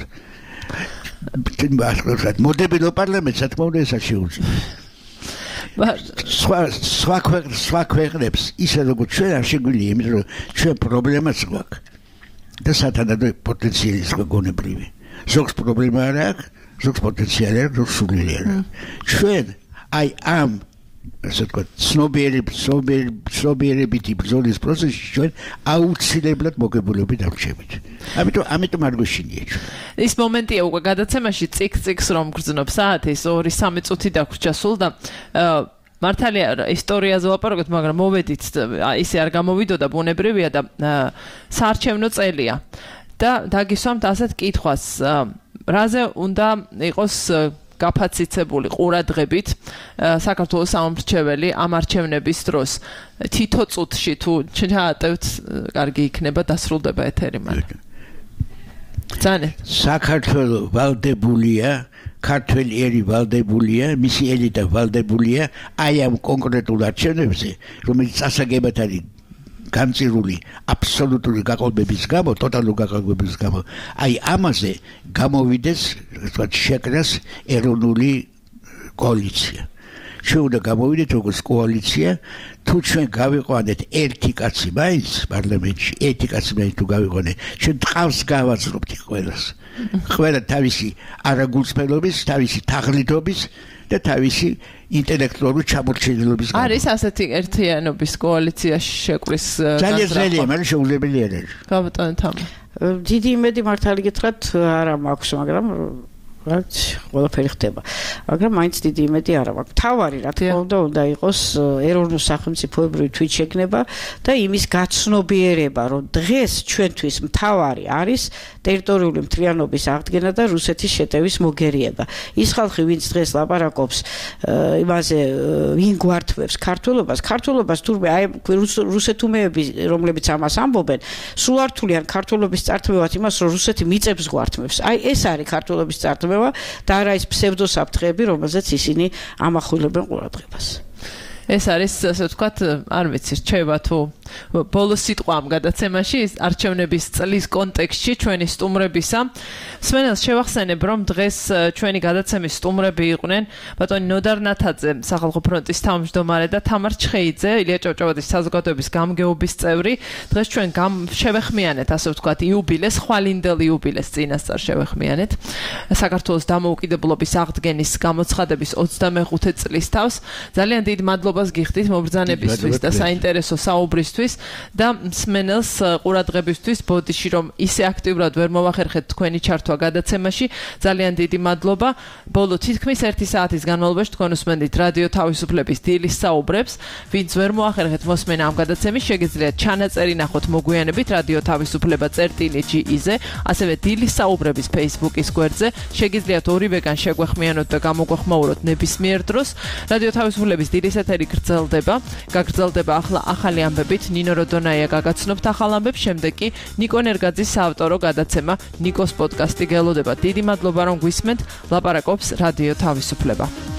G: მოდებილო პარლამენტს რა თქმა უნდა ეს არ შეუძლია სხვა სხვა სხვა ქვეყნებს ისე როგორც ჩვენ არ შეგვიძლია იმიტომ რომ ჩვენ პრობლემაც გვაქვს და სათანადო პოტენციალის გონებრივი ზოგს პრობლემა არ აქვს ზოგს პოტენციალი აქვს ზოგს სულელი არ აქვს ჩვენ აი ამ ასე ვთქვათ ცნობიერებითი ბრძოლის პროცესში ჩვენ აუცილებლად მოგებულები დავრჩებით ამიტომ ამიტომ არ გვეშინია ჩვენ
C: ის მომენტია უკვე გადაცემაში წიქ-წიქს რომ გრძნობს საათის ორი სამი წუთი დაგვრჩა სულ და მართალია ისტორიაზე ვაპარაკოთ მაგრამ მოვედით ისე არ გამოვიდოდა ბუნებრივია და საარჩევნო წელია და დაგისვამთ ასეთ კითხვას რაზე უნდა იყოს გაფაციცებული ყურადღებით საქართველოს სამმრჩეველი ამ არჩევნების დროს თითო წუთში თუ ჩაატევთ კარგი იქნება დასრულდება ეთერი მაგრამ ძანე
G: საქართველო ვალდებულია ქართველი ერი ვალდებულია მისი ელიტა ვალდებულია აი ამ კონკრეტულ არჩევნებზე რომელიც წასაგებად არის გამწირული აბსოლუტური გაყოლბების გამო, ტოტალური გაყოლბების გამო, აი ამაზე გამოვიდეს, თქვათ, შეკრას ეროვნული კოალიცია. ჩვენ უნდა გამოვიდეთ როგორც კოალიცია, თუ ჩვენ გავიყვანეთ ერთი კაცი მაინც პარლამენტში, ერთი კაცი მაინც თუ გავიყვანეთ, ჩვენ ტყავს გავაძლობთ ყველას. ყველა თავისი არაგულწრფელობის, თავისი თაღლითობის და თავისი ინტელექტუალური ჩამორჩენილობის გამო.
C: არის ასეთი ერთიანობის კოალიციაში შეკვრის
G: ძალიან ძნელია, მაგრამ შეუძლებელი არ არის.
C: გაბატონო თამა.
F: დიდი იმედი მართალი გითხრათ არა მაქვს, მაგრამ რაც ყველაფერი ხდება. მაგრამ მაინც დიდი იმედი არა მაქვს. თავარი რა თქმა უნდა უნდა იყოს ეროვნულ სახელმწიფოებრივი თვითშეგნება და იმის გაცნობიერება, რომ დღეს ჩვენთვის მთავარი არის ტერიტორიული მთლიანობის აღდგენა და რუსეთის შეტევის მოგერიება. ის ხალხი, ვინც დღეს ლაპარაკობს იმაზე, ვინ გვართმევს ქართულობას, ქართულობას თურმე აი რუსეთუმეები, რომლებიც ამას ამბობენ, სულ არ თვლიან ქართულობის წართმევად იმას, რომ რუსეთი მიწებს გვართმევს. აი ეს არის ქართულობის წართმევა და არა ის ფსევდოსაფრთხეები, რომელზეც ისინი ამახვილებენ ყურადღებას.
C: ეს არის ასე ვთქვათ, არ ვიცი, რჩება თუ ბოლო სიტყვა ამ გადაცემაში არჩევნების წლის კონტექსტში ჩვენი სტუმრებისა. მსმენელს შევახსენებ, რომ დღეს ჩვენი გადაცემის სტუმრები იყვნენ ბატონი ნოდარ ნათაძე, სახალხო ფრონტის თავმჯდომარე და თამარ ჩხეიძე, ილია ჭავჭავაძის საზოგადოების გამგეობის წევრი. დღეს ჩვენ შევეხმიანეთ, ასე ვთქვათ, იუბილეს, ხვალინდელ იუბილეს წინასწარ შევეხმიანეთ. საქართველოს დამოუკიდებლობის აღდგენის გამოცხადების ოცდამეხუთე წლის თავს. ძალიან დიდ მადლობას გიხდით მობრძანებისთვის და საინტერესო საუბრისთვის და მსმენელს ყურადღებისთვის ბოდიში რომ ისე აქტიურად ვერ მოვახერხეთ თქვენი ჩართვა გადაცემაში. ძალიან დიდი მადლობა. ბოლო თითქმის ერთი საათის განმავლობაში თქვენ უსმენდით რადიო თავისუფლების დილის საუბრებს. ვინც ვერ მოახერხეთ მოსმენა ამ გადაცემის, შეგიძლიათ ჩანაწერი ნახოთ მოგვიანებით რადიო თავისუფლება წერტილი ჯი-ზე, ასევე დილის საუბრების Facebook-ის გვერდზე. შეგიძლიათ ორივეგან შეგვეხმიანოთ და გამოგვეხმაუროთ ნებისმიერ დროს. რადიო თავისუფლების დილის ეთერი გრძელდება. გაგრძელდება ახლა ახალი ამბებით. ნინო როდონაია გაგაცნობთ ახალ ამბებს, შემდეგ კი ნიკო ნერგაძის საავტორო გადაცემა ნიკოს პოდკასტი გელოდება. დიდი მადლობა რომ გვისმენთ. ლაპარაკობს რადიო თავისუფლება.